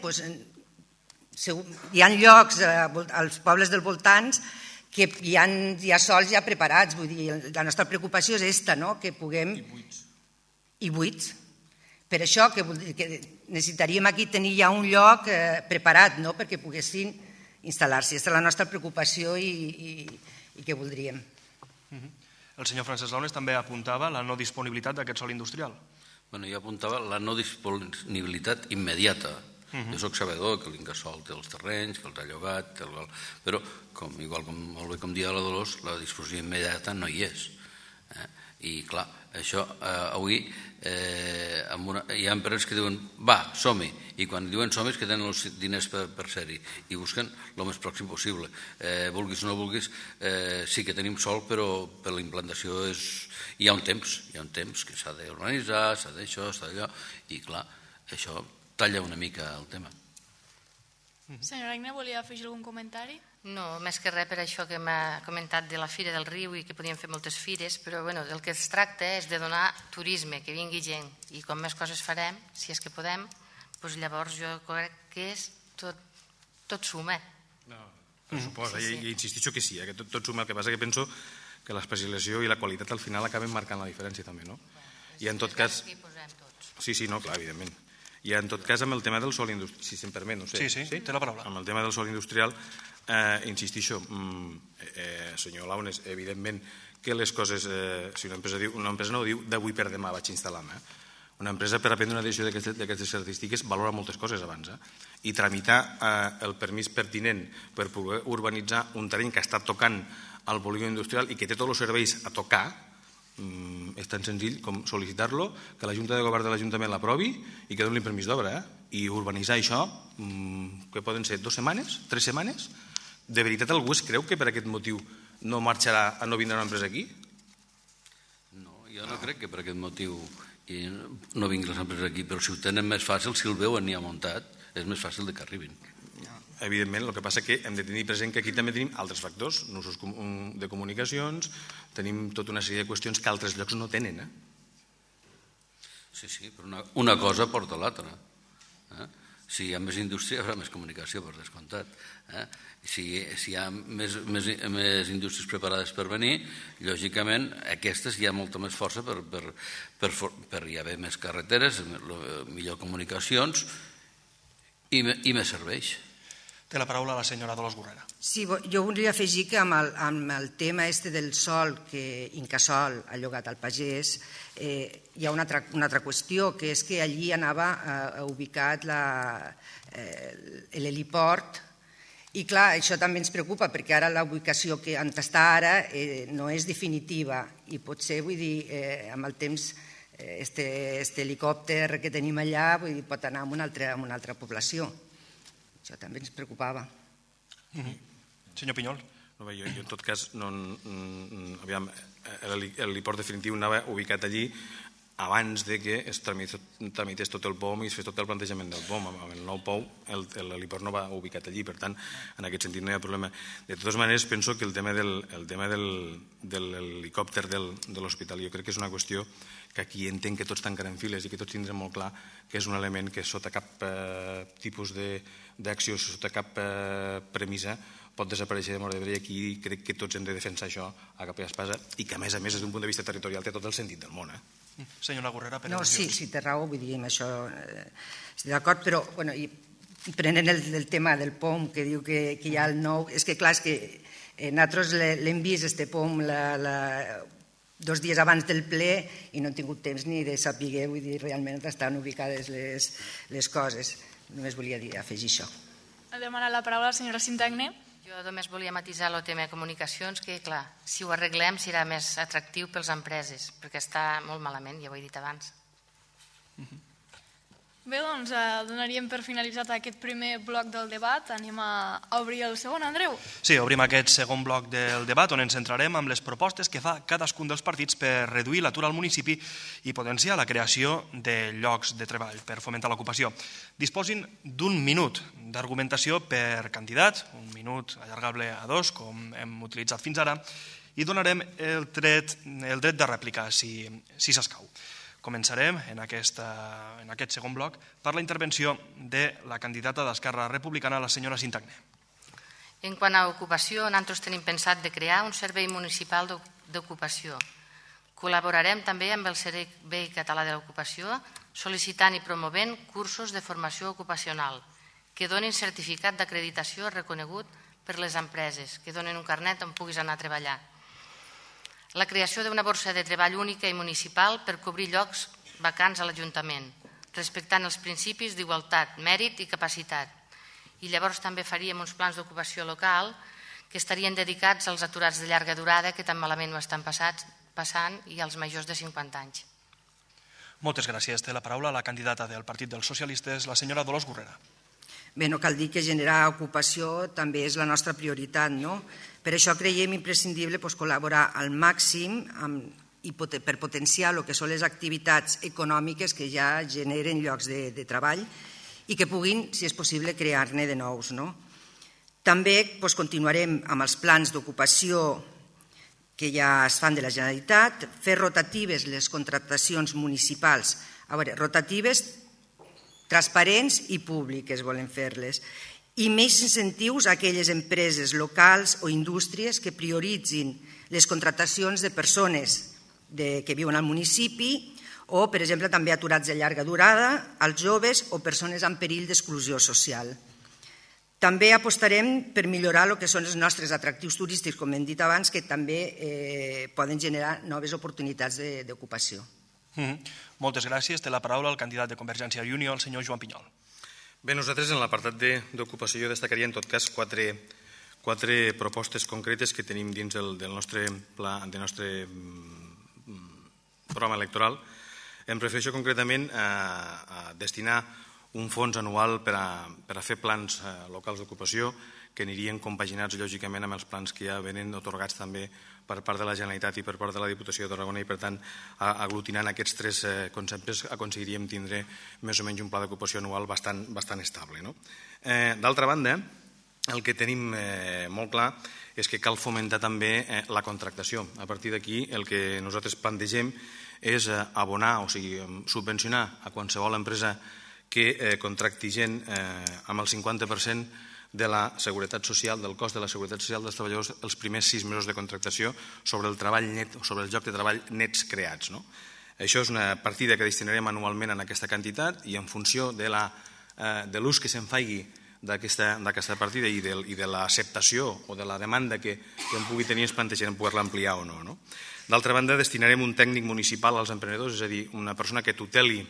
S5: hi ha llocs als pobles dels voltants que hi ha sòls ja preparats. Vull dir, la nostra preocupació és aquesta, que puguem... I buits. I buits. Per això que necessitaríem aquí tenir ja un lloc preparat perquè poguessin instal·lar-s'hi. Aquesta és la nostra preocupació i què voldríem.
S2: El senyor Francesc Launes també apuntava la no disponibilitat d'aquest sòl industrial.
S4: Bueno, jo apuntava la no disponibilitat immediata. Jo soc sabedor que l'Incasòl té els terrenys, que els ha llogat, però, igual molt bé com dia la Dolors, la disposició immediata no hi és. I clar, això avui hi ha empreses que diuen va, som-hi, i quan diuen som-hi és que tenen els diners per ser-hi i busquen el més pròxim possible. Vulguis o no vulguis, sí que tenim sol, però per la implantació hi ha un temps, hi ha un temps que s'ha d'urbanitzar, s'ha d'això, s'ha d'allò, i clar, això talla una mica el tema.
S1: Senyora Agne, volia afegir algun comentari?
S3: No, més que res per això que m'ha comentat de la Fira del Riu i que podíem fer moltes fires, però del que es tracta és de donar turisme, que vingui gent, i com més coses farem, si és que podem, llavors jo crec que és tot suma.
S6: Per suposa, i insistixo que sí, que tot suma. El que passa que penso que l'especialització i la qualitat al final acaben marcant la diferència també, no? I en tot cas... Sí, sí, no, clar, evidentment. I en tot cas, amb el tema del sòl industrial, si se'm permet, no sé.
S2: Sí, sí, té la paraula.
S6: Amb el tema del sòl industrial, insistixo, senyor Launes, evidentment que les coses, si una empresa no ho diu, d'avui per demà vaig instal·lar-me. Una empresa, per aprendre una decisió d'aquestes característiques, valora moltes coses abans. Eh? I tramitar eh, el permís pertinent per poder urbanitzar un terreny que està tocant al polígon industrial i que té tots els serveis a tocar, mm, és tan senzill com sol·licitar-lo, que la Junta de Govern de l'Ajuntament l'aprovi i que doni permís d'obra. Eh? I urbanitzar això, mm, que poden ser dues setmanes, tres setmanes. De veritat algú es creu que per aquest motiu no marxarà, no vindrà una empresa aquí?
S4: No, jo no crec que per aquest motiu i no vinguin les empreses aquí, però si ho tenen més fàcil, si el veuen ja muntat, és més fàcil de que arribin.
S6: Evidentment, el que passa que hem de tenir present que aquí també tenim altres factors, nusos de comunicacions, tenim tota una sèrie de qüestions que altres llocs no tenen. Eh?
S4: Sí, sí, però una, una cosa porta l'altra. Eh? Si hi ha més indústria, hi haurà més comunicació, per descomptat. Eh? Si, si hi ha més, més, més indústries preparades per venir, lògicament aquestes hi ha molta més força per, per, per, per hi haver més carreteres, millor comunicacions i, i més serveis.
S2: Té la paraula la senyora Dolors Gurrera.
S5: Sí, jo volia afegir que amb el, amb el tema este del sol que Incasòl ha llogat al pagès, eh, hi ha una altra, una altra qüestió, que és que allí anava eh, ubicat eh, l'heliport. I clar, això també ens preocupa perquè ara la ubicació que on està ara eh, no és definitiva i potser, vull dir, eh, amb el temps eh, este, este helicòpter que tenim allà vull dir, pot anar a una altra, a una altra població. Això també ens preocupava.
S2: Mm-hmm. Senyor Pinyol.
S6: No, jo, jo en tot cas, no, aviam, l'heliport definitiu anava ubicat allí abans de que es tramités tot el P O M i es fes tot el plantejament del P O M. Amb el nou P O M l'heliport no va ubicat allí, per tant, en aquest sentit no hi ha problema. De totes maneres, penso que el tema del, el tema del, de l'helicòpter del, de l'hospital jo crec que és una qüestió que aquí entenc que tots tancarem files i que tots tindrem molt clar que és un element que sota cap eh, tipus d'acció, sota cap eh, premissa, pot desaparèixer de Móra d'Ebre i aquí crec que tots hem de defensar això a capa i espasa i que a més a més des d'un punt de vista territorial té tot el sentit del món. Eh?
S2: Senyora Gurrera, per
S5: no,
S2: al·lusions.
S5: sí, sí, té raó, vull dir, amb això eh, estic d'acord, però bueno, i, i prenent el, el tema del P O M que diu que, que hi ha el nou, és que clar, és que eh, nosaltres l'hem vist, este P O M, la, la, dos dies abans del ple i no hem tingut temps ni de saber, vull dir, realment estan ubicades les, les coses. Només volia dir, afegir això.
S1: Ha demanat la paraula la senyora Sintagné.
S3: Jo només volia matisar el tema de comunicacions, que clar, si ho arreglem serà més atractiu pels empreses, perquè està molt malament, ja ho he dit abans.
S1: Bé, doncs donaríem per finalitzat aquest primer bloc del debat. Anem a obrir el segon, Andreu.
S2: Sí, obrim aquest segon bloc del debat on ens centrarem amb les propostes que fa cadascun dels partits per reduir l'atur al municipi i potenciar la creació de llocs de treball per fomentar l'ocupació. Disposin d'un minut d'argumentació per candidat, un minut allargable a dos, com hem utilitzat fins ara, i donarem el dret, el dret de rèplica, si, si s'escau. Començarem en, aquesta, en aquest segon bloc per la intervenció de la candidata d'Esquerra Republicana, la senyora Sintagné.
S3: En quant a ocupació, nosaltres tenim pensat de crear un servei municipal d'ocupació. Col·laborarem també amb el Servei Català de l'Ocupació sol·licitant i promovent cursos de formació ocupacional que donin certificat d'acreditació reconegut per les empreses, que donin un carnet on puguis anar a treballar. La creació d'una borsa de treball única i municipal per cobrir llocs vacants a l'Ajuntament, respectant els principis d'igualtat, mèrit i capacitat. I llavors també faríem uns plans d'ocupació local que estarien dedicats als aturats de llarga durada que tan malament ho estan passant i als majors de cinquanta anys.
S2: Moltes gràcies. Té la paraula la candidata del Partit dels Socialistes, la senyora Dolors Gurrera.
S5: Bé, no cal dir que generar ocupació també és la nostra prioritat, no? Per això creiem imprescindible doncs, col·laborar al màxim amb, i pot, per potenciar el que són les activitats econòmiques que ja generen llocs de, de treball i que puguin, si és possible, crear-ne de nous. No? També doncs, continuarem amb els plans d'ocupació que ja es fan de la Generalitat, fer rotatives les contractacions municipals. A veure, rotatives transparents i públiques volen fer-les, i més incentius a aquelles empreses locals o indústries que prioritzin les contractacions de persones de, que viuen al municipi o, per exemple, també aturats de llarga durada, als joves o persones en perill d'exclusió social. També apostarem per millorar el que són els nostres atractius turístics, com hem dit abans, que també eh, poden generar noves oportunitats d'ocupació.
S2: Moltes gràcies. Té la paraula el candidat de Convergència i Unió, el senyor Joan Pinyol.
S6: Bé, nosaltres en l'apartat d'ocupació jo destacaria en tot cas quatre, quatre propostes concretes que tenim dins del, del nostre pla, del nostre programa electoral. Em refereixo concretament a, a destinar un fons anual per a, per a fer plans eh, locals d'ocupació que anirien compaginats lògicament amb els plans que ja venen otorgats també per part de la Generalitat i per part de la Diputació de Tarragona i per tant aglutinant aquests tres eh, conceptes aconseguiríem tindre més o menys un pla d'ocupació anual bastant, bastant estable. No? Eh, D'altra banda, el que tenim eh, molt clar és que cal fomentar també eh, la contractació. A partir d'aquí el que nosaltres plantegem és eh, abonar, o sigui, subvencionar a qualsevol empresa que eh, contracti gent eh, amb el cinquanta per cent de la seguretat social, del cost de la seguretat social dels treballadors els primers sis mesos de contractació sobre el treball net, sobre el lloc de treball nets creats. No? Això és una partida que destinarem anualment en aquesta quantitat i en funció de l'ús que se'n faci d'aquesta partida i de, i de l'acceptació o de la demanda que, que en pugui tenir es plantejarem poder-la ampliar o no. no? D'altra banda, destinarem un tècnic municipal als emprenedors, és a dir, una persona que tuteli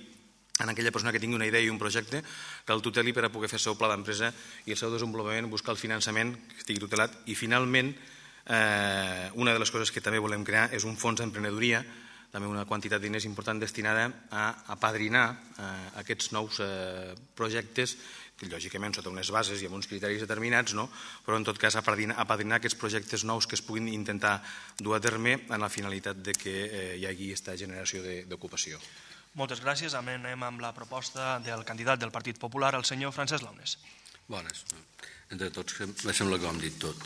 S6: en aquella persona que tingui una idea i un projecte, que el tuteli per a poder fer el seu pla d'empresa i el seu desenvolupament, buscar el finançament que estigui tutelat. I finalment, eh, una de les coses que també volem crear és un fons d'emprenedoria, també una quantitat de diners important destinada a apadrinar eh, aquests nous eh, projectes, que lògicament sota unes bases i amb uns criteris determinats, no? Però en tot cas apadrinar, apadrinar aquests projectes nous que es puguin intentar dur a terme amb la finalitat de que eh, hi hagi aquesta generació d'ocupació.
S2: Moltes gràcies. Anem amb la proposta del candidat del Partit Popular, el senyor Francesc Launes.
S4: Bones. Entre tots, me sembla que ho hem dit tot.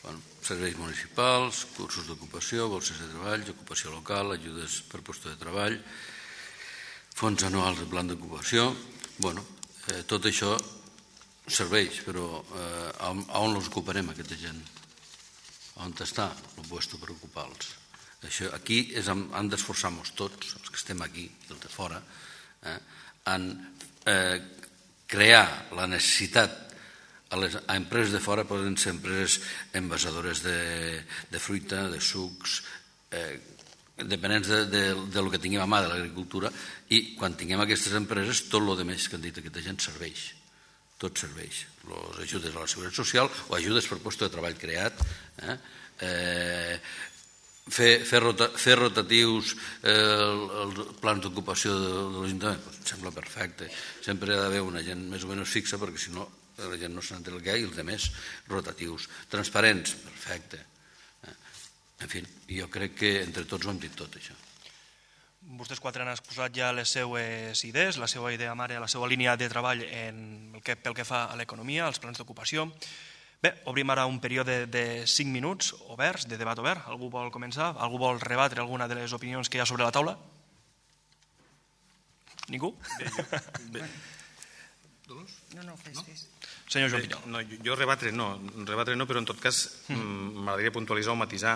S4: Bueno, serveis municipals, cursos d'ocupació, borses de treball, ocupació local, ajudes per posto de treball, fons anuals de plan d'ocupació. Bueno, eh, tot això serveix, però eh, on, on els ocuparem, aquesta gent? On està el puesto per ocupar-los? Això, aquí és, han d'esforçar-nos tots, els que estem aquí i els de fora, eh, en eh, crear la necessitat a les a empreses de fora, poden ser empreses envasadores de, de fruita, de sucs, eh, dependents de, de, de lo que tinguem a mà de l'agricultura, i quan tinguem aquestes empreses tot el que més que han dit aquesta gent serveix. Tot serveix. Les ajudes a la seguretat social o ajudes per lloc de treball creat, eh, eh, Fer, fer, rota, fer rotatius eh, els plans d'ocupació de, de l'Ajuntament, pues, em sembla perfecte. Sempre ha d'haver una gent més o menys fixa perquè si no la gent no s'entén el que hi ha i els altres rotatius. Transparents, perfecte. Eh, en fi, jo crec que entre tots ho hem dit tot això.
S2: Vostès quatre han exposat ja les seues idees, la seva idea mare, la seva línia de treball en el que, pel que fa a l'economia, als plans d'ocupació. Bé, obrim ara un període de cinc minuts oberts, de debat obert. Algú vol començar? Algú vol rebatre alguna de les opinions que hi ha sobre la taula? Ningú?
S6: Bé, jo, bé.
S5: No, no, fes, fes.
S2: Senyor Joan Pinyol.
S6: No, jo rebatre no, rebatre no, però en tot cas m'agradaria puntualitzar o matisar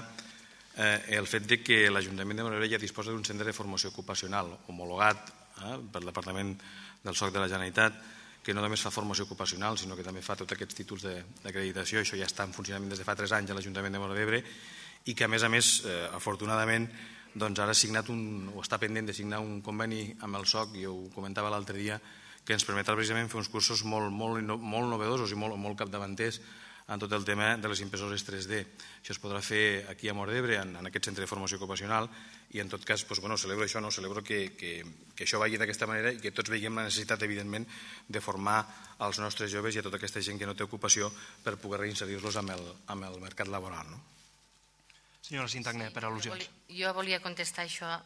S6: eh, el fet de que l'Ajuntament de Móra d'Ebre ja disposa d'un centre de formació ocupacional homologat eh, per el Departament del S O C de la Generalitat, que no només fa formació ocupacional, sinó que també fa tots aquests títols d'acreditació. Això ja està en funcionament des de fa tres anys a l'Ajuntament de Móra d'Ebre i que, a més a més, eh, afortunadament, doncs ara ha signat un, o està pendent de signar un conveni amb el S O C, i ho comentava l'altre dia, que ens permetrà precisament fer uns cursos molt, molt, molt novedosos i molt, molt capdavanters en tot el tema de les impressores tres D. Això es podrà fer aquí a Móra d'Ebre, en, en aquest centre de formació ocupacional, i en tot cas, doncs, bueno, celebro això, no? celebro que, que, que això vagi d'aquesta manera i que tots veiem la necessitat, evidentment, de formar els nostres joves i a tota aquesta gent que no té ocupació per poder reinserir-los amb, el, amb el mercat laboral. No?
S2: Senyora Sintagné, per al·lusions.
S3: Jo volia contestar això.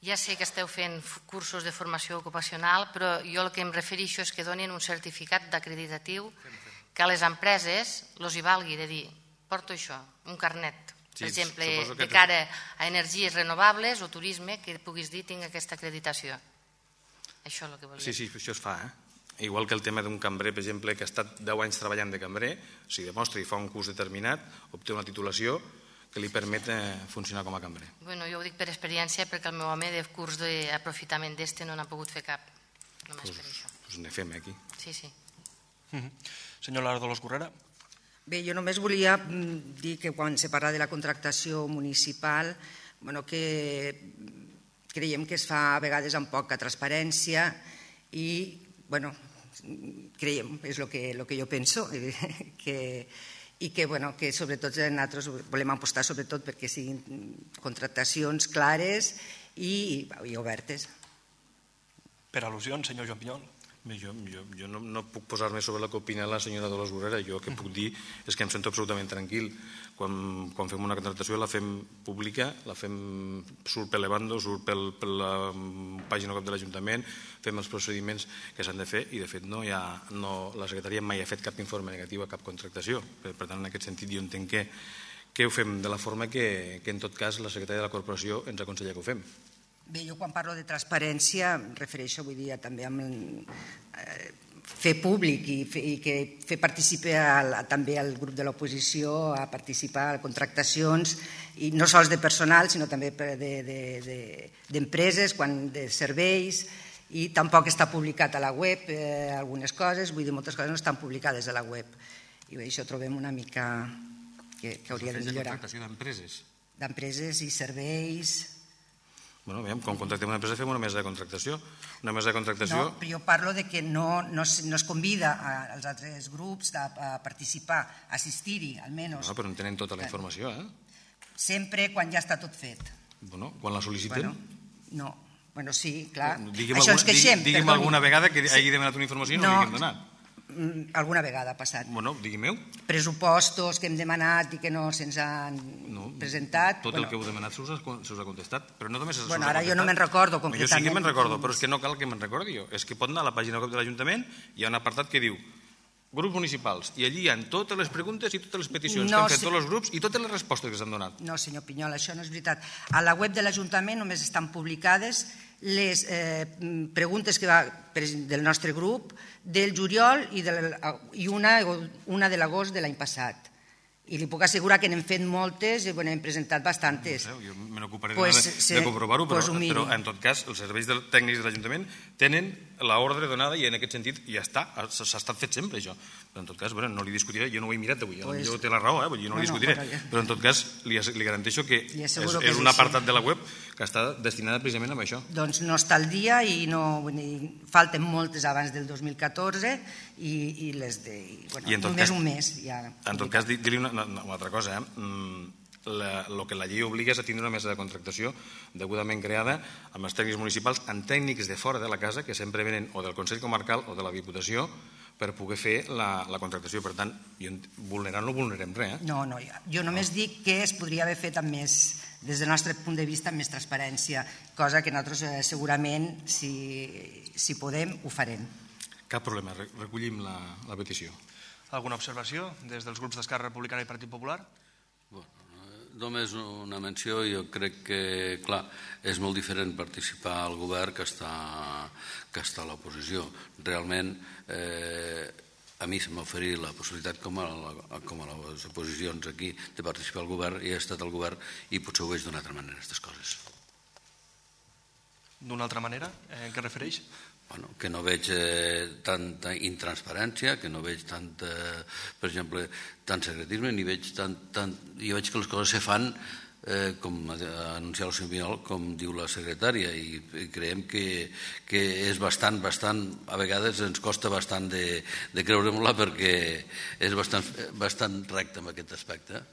S3: Ja sé que esteu fent cursos de formació ocupacional, però jo el que em refereixo és que donin un certificat d'acreditatiu que a les empreses els hi valgui de dir, porto això, un carnet, per exemple, de cara a energies renovables o turisme, que puguis dir tinc aquesta acreditació. Això és el que volia dir.
S6: Sí, sí, això es fa, eh? Igual que el tema d'un cambrer, per exemple, que ha estat deu anys treballant de cambrer, si demostra i fa un curs determinat, obté una titulació que li permet funcionar com a cambrer.
S3: Bueno, jo ho dic per experiència perquè el meu home de curs d'aprofitament d'este no n'ha pogut fer cap, només per això.
S6: Doncs ne fem aquí.
S3: Sí, sí.
S2: Senyor Lara Dolors Correra.
S5: Bé, jo només volia dir que quan se parla de la contractació municipal, bueno, que creiem que es fa a vegades amb poca transparència i, bueno, creiem, és el que, el que jo penso, que, i que, bueno, que sobretot nosaltres volem apostar sobretot perquè siguin contractacions clares i, i obertes.
S2: Per al·lusions, senyor Joan Pinyol.
S6: Jo, jo, jo no, no puc posar-me sobre la que opina la senyora Dolors Borrera. Jo el que puc dir és que em sento absolutament tranquil. Quan, quan fem una contractació la fem pública, la fem, surt per l'Evando, surt pel, per la pàgina web de l'Ajuntament, fem els procediments que s'han de fer i de fet no hi ha, no, la secretaria mai ha fet cap informe negatiu a cap contractació. Per, per tant, en aquest sentit jo entenc que, que ho fem de la forma que, que en tot cas la secretària de la corporació ens aconsella que ho fem.
S5: Bé, jo quan parlo de transparència em refereixo, vull dir, també a eh, fer públic i, fer, i que fer participar a, també al grup de l'oposició a participar a contractacions, i no sols de personal, sinó també d'empreses, de, de, de serveis, i tampoc està publicat a la web eh, algunes coses, vull dir, moltes coses no estan publicades a la web. I bé, això trobem una mica que, que hauria de millorar.
S6: Contractació d'empreses.
S5: D'empreses i serveis.
S6: Bueno, veiem, quan contractem una empresa fem una mesa de contractació. Una mesa de contractació...
S5: No, però jo parlo de que no, no, es, no es convida als altres grups a, a participar, a assistir-hi, almenys.
S6: No, però en tenen tota la informació, eh?
S5: Sempre quan ja està tot fet.
S6: Bueno, quan la sol·liciten...
S5: Bueno, no, bueno, sí, clar.
S6: Digue'm
S5: Això
S6: alguna,
S5: ens queixem.
S6: Digue'm
S5: perdoni.
S6: alguna vegada que hagi demanat una informació i no, no l'haguem donat.
S5: Alguna vegada ha passat.
S6: Bueno, digui'm-ho.
S5: Pressupostos que hem demanat i que no se'ns han no, presentat.
S6: Tot
S5: bueno,
S6: el que heu demanat se us, ha, se us ha contestat, però no només se us
S5: bueno,
S6: ha
S5: ara
S6: contestat.
S5: jo no me'n recordo concretament.
S6: Jo sí que me'n recordo, però és que no cal que me'n recordi jo. És que pot anar a la pàgina web de l'Ajuntament, hi ha un apartat que diu grups municipals, i allí hi ha totes les preguntes i totes les peticions no, que han fet sí. tots els grups i totes les respostes que s'han donat.
S5: No, senyor Pinyol, això no és veritat. A la web de l'Ajuntament només estan publicades les eh, preguntes que va del nostre grup del juliol i, de, i una, una de l'agost de l'any passat. I li puc assegurar que n'hem fet moltes i bueno, hem presentat bastantes.
S6: No sé, jo me n'ocuparé
S5: pues,
S6: de, de comprovar-ho, però,
S5: pues
S6: però en tot cas els serveis del, tècnics de l'Ajuntament tenen l'ordre donada i en aquest sentit ja està, s'ha estat fet sempre això. Però en tot cas, bueno, no li discutiré, jo no ho he mirat avui, pues, jo té la raó, eh? jo no, no li discutiré, no, però, però en tot cas li, li garanteixo que és,
S5: que
S6: és un apartat de la web que està destinada precisament a això.
S5: Doncs no està al dia i no, dir, falten moltes abans del dos mil catorze i, i les de... I, bueno, I només cas, un mes ja.
S6: En tot cas, dir-li una, una, una altra cosa, eh? El que la llei obliga és a tindre una mesa de contractació degudament creada amb els tècnics municipals, amb tècnics de fora de la casa que sempre venen o del Consell Comarcal o de la Diputació per poder fer la, la contractació. Per tant, vulnerant no vulnerem res. Eh?
S5: No, no, jo només no. dic que es podria haver fet amb més, des del nostre punt de vista, amb més transparència, cosa que nosaltres eh, segurament, si, si podem, ho farem.
S6: Cap problema, recollim la, la petició.
S2: Alguna observació des dels grups d'Esquerra Republicana i Partit Popular?
S4: Bueno, només una menció, jo crec que, clar, és molt diferent participar al govern que estar, que estar a l'oposició. Realment, eh, a mi se m'ha oferit la possibilitat, com a, la, com a les oposicions aquí, de participar al govern, i he estat al govern i potser ho veig d'una altra manera, aquestes coses.
S2: D'una altra manera? Eh, en què refereix?
S4: Bueno, que no veig eh, tanta intransparència, que no veig tant, eh, per exemple, tant secretisme, ni veig tant, tant... Jo veig que les coses se fan, eh, com ha anunciat el senyor Pinyol, com diu la secretària, i, i creiem que, que és bastant, bastant, a vegades ens costa bastant de, de creure-me-la perquè és bastant, bastant recte en aquest aspecte.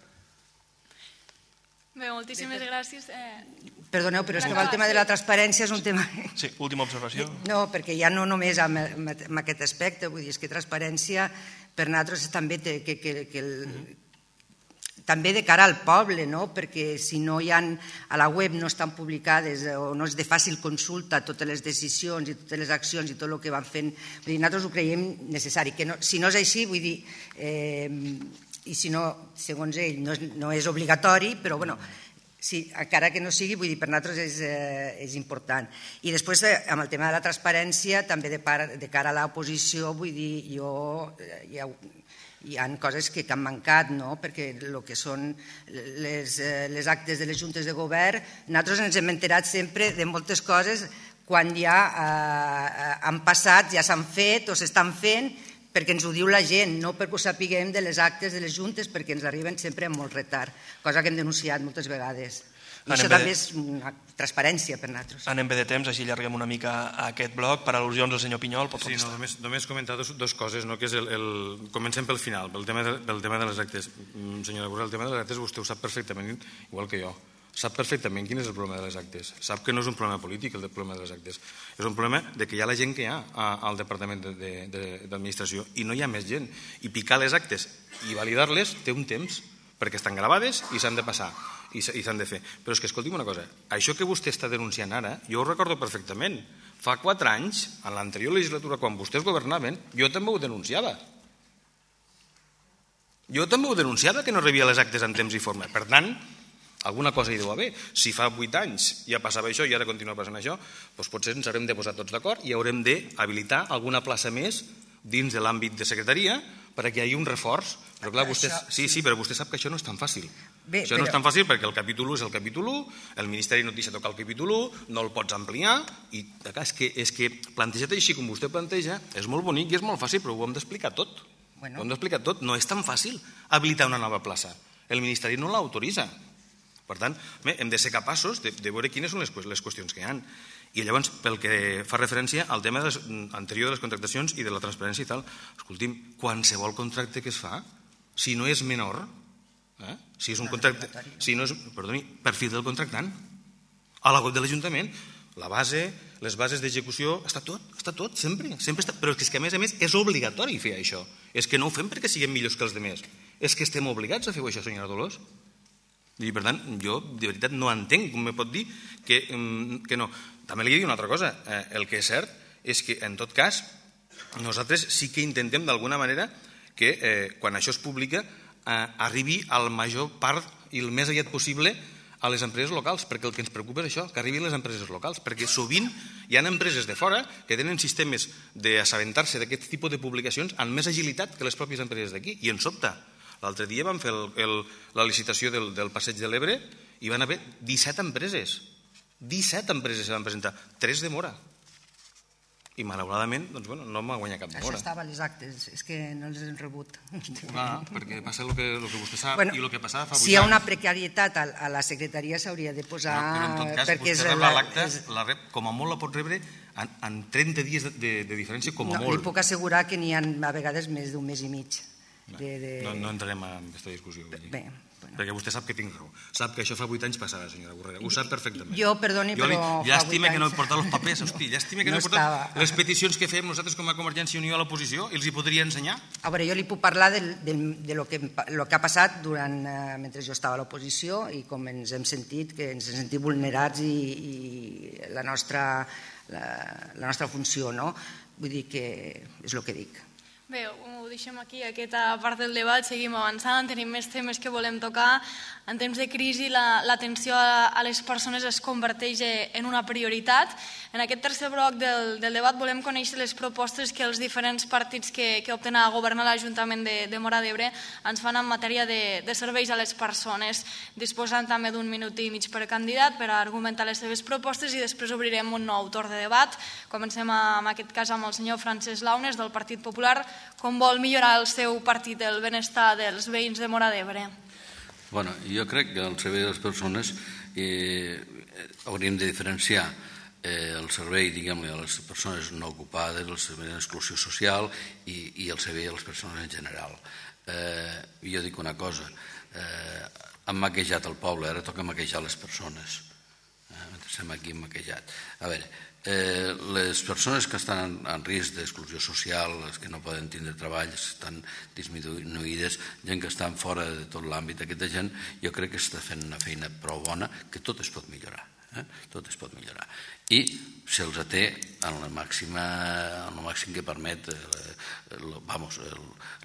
S1: Bé, moltíssimes gràcies. Eh...
S5: Perdoneu, però és que el tema de la transparència és un tema...
S2: Sí, última observació.
S5: No, perquè ja no només amb, amb aquest aspecte, vull dir, és que transparència per nosaltres també té, que, que, que el, mm-hmm. també de cara al poble, no? Perquè si no hi ha, a la web no estan publicades o no és de fàcil consulta totes les decisions i totes les accions i tot el que van fent, vull dir, nosaltres ho creiem necessari. Que no, si no és així, vull dir... Eh, i si no, segons ell, no és, no és obligatori, però bueno, sí, encara que no sigui, vull dir, per nosaltres és, eh, és important. I després, eh, amb el tema de la transparència, també de, par, de cara a l'oposició, vull dir, jo, eh, hi, ha, hi ha coses que, que han mancat, no? Perquè el que són les, eh, les actes de les juntes de govern, nosaltres ens hem enterat sempre de moltes coses quan ja eh, han passat, ja s'han fet o s'estan fent, perquè ens ho diu la gent, no perquè ho sapiguem de les actes de les juntes, perquè ens arriben sempre amb molt retard, cosa que hem denunciat moltes vegades. I això també és una transparència per nosaltres.
S2: Anem bé de temps, així allarguem una mica aquest bloc. Per al·lusions del senyor Pinyol, pot contestar.
S6: Sí, no, només, només comentar dos, dos coses, no? Que és el, el... Comencem pel final, pel tema, de, pel tema de les actes. Senyora Borrell, el tema de les actes vostè ho sap perfectament, igual que jo. Sap perfectament quin és el problema de les actes. Sap que no és un problema polític el problema de les actes. És un problema de que hi ha la gent que hi ha al Departament d'Administració i no hi ha més gent. I picar les actes i validar-les té un temps, perquè estan gravades i s'han de passar i s'han de fer. Però és que, escolti'm una cosa, això que vostè està denunciant ara, jo ho recordo perfectament. Fa quatre anys, en l'anterior legislatura, quan vostès governaven, jo també ho denunciava. Jo també ho denunciava, que no rebia les actes en temps i forma. Per tant, alguna cosa hi deu haver. Si fa vuit anys ja passava això i ara continua passant això, doncs potser ens haurem de posar tots d'acord i haurem d'habilitar alguna plaça més dins de l'àmbit de secretaria perquè hi hagi un reforç. Però clar, vostè, sí, sí, però vostè sap que això no és tan fàcil. Bé, això no però... és tan fàcil perquè el capítol u és el capítol u, el Ministeri no et deixa tocar el capítol u, no el pots ampliar, i clar, és, que, és que plantejat així com vostè planteja és molt bonic i és molt fàcil, però ho hem d'explicar tot. Bueno. Ho hem d'explicar tot. No és tan fàcil habilitar una nova plaça. El Ministeri no l'autoritza. Per tant, bé, hem de ser capaços de, de veure quines són les, les qüestions que hi ha. I llavors, pel que fa referència al tema de les, anterior de les contractacions i de la transparència i tal, escolti'm, qualsevol contracte que es fa, si no és menor, eh? si és un contracte, si no és, perdoni, perfil del contractant, a la web de l'Ajuntament, la base, les bases d'execució, està tot, està tot, sempre, sempre està, però és que a més a més és obligatori fer això, és que no ho fem perquè siguem millors que els altres, és que estem obligats a fer això, senyora Dolors. I per tant, jo de veritat no entenc com me pot dir que, que no. També li dic una altra cosa, eh, el que és cert és que en tot cas nosaltres sí que intentem d'alguna manera que eh, quan això es publica eh, arribi al major part i el més aviat possible a les empreses locals, perquè el que ens preocupa és això, que arribin les empreses locals, perquè sovint hi ha empreses de fora que tenen sistemes d'assabentar-se d'aquest tipus de publicacions amb més agilitat que les pròpies empreses d'aquí, i ens sobta. L'altre dia vam fer el, el, la licitació del, del Passeig de l'Ebre i van haver disset empreses. disset empreses se van presentar, tres de Mora. I malauradament, doncs, bueno, no m'ha guanyat cap Mora.
S5: Això estava a les actes, és que no els hem rebut.
S6: Ah, perquè passa el que, el que vostè sap bueno, i el que passava fa vuit anys.
S5: Si hi ha una precarietat a, a la secretaria s'hauria de posar...
S6: No, però en tot cas,
S5: perquè
S6: vostè rep l'acte, la rep, com a molt la pot rebre en, en trenta dies de, de, de diferència, com a
S5: no,
S6: molt.
S5: Li puc assegurar que n'hi ha a vegades més d'un mes i mig. De, de...
S6: No, no entrarem en aquesta discussió. Bé, bueno. Perquè vostè sap que tinc raó. Sap que això fa vuit anys passava, senyora Borrega. Ho sap perfectament.
S5: Jo, perdoni, jo li, però...
S6: Llàstima que no he portat els papers, hosti. Llàstima que no, no he portat les peticions que fem nosaltres com a Convergència i Unió a l'oposició. I els hi podria ensenyar?
S5: A veure, jo li puc parlar de, de, de lo, que, lo que ha passat durant, eh, mentre jo estava a l'oposició i com ens hem sentit, que ens hem sentit vulnerats i, i la, nostra, la, la nostra funció, no? Vull dir que és el que dic.
S1: Bé, ho deixem aquí, aquesta part del debat, seguim avançant, tenim més temes que volem tocar. En temps de crisi l'atenció a les persones es converteix en una prioritat. En aquest tercer bloc del, del debat volem conèixer les propostes que els diferents partits que, que opten a governar l'Ajuntament de, de Móra d'Ebre ens fan en matèria de, de serveis a les persones, disposant també d'un minut i mig per candidat per a argumentar les seves propostes i després obrirem un nou torn de debat. Comencem en aquest cas amb el senyor Francesc Launes del Partit Popular. Com vol millorar el seu partit el benestar dels veïns de Móra d'Ebre?
S4: Bueno, jo crec que el servei de les persones eh, hauríem de diferenciar eh, el servei, diguem-ne, a les persones no ocupades, el servei d'exclusió social i, i el servei a les persones en general. Eh, jo dic una cosa, eh, hem maquejat el poble, ara toca maquejar les persones. Eh, mentre estem aquí hem maquejat. A veure, Eh, les persones que estan en risc d'exclusió social, les que no poden tindre treball, estan disminuïdes, gent que estan fora de tot l'àmbit, aquesta gent jo crec que està fent una feina prou bona, que tot es pot millorar, eh? tot es pot millorar. I se'ls té en la màxima, en el màxim que permet eh, vamos,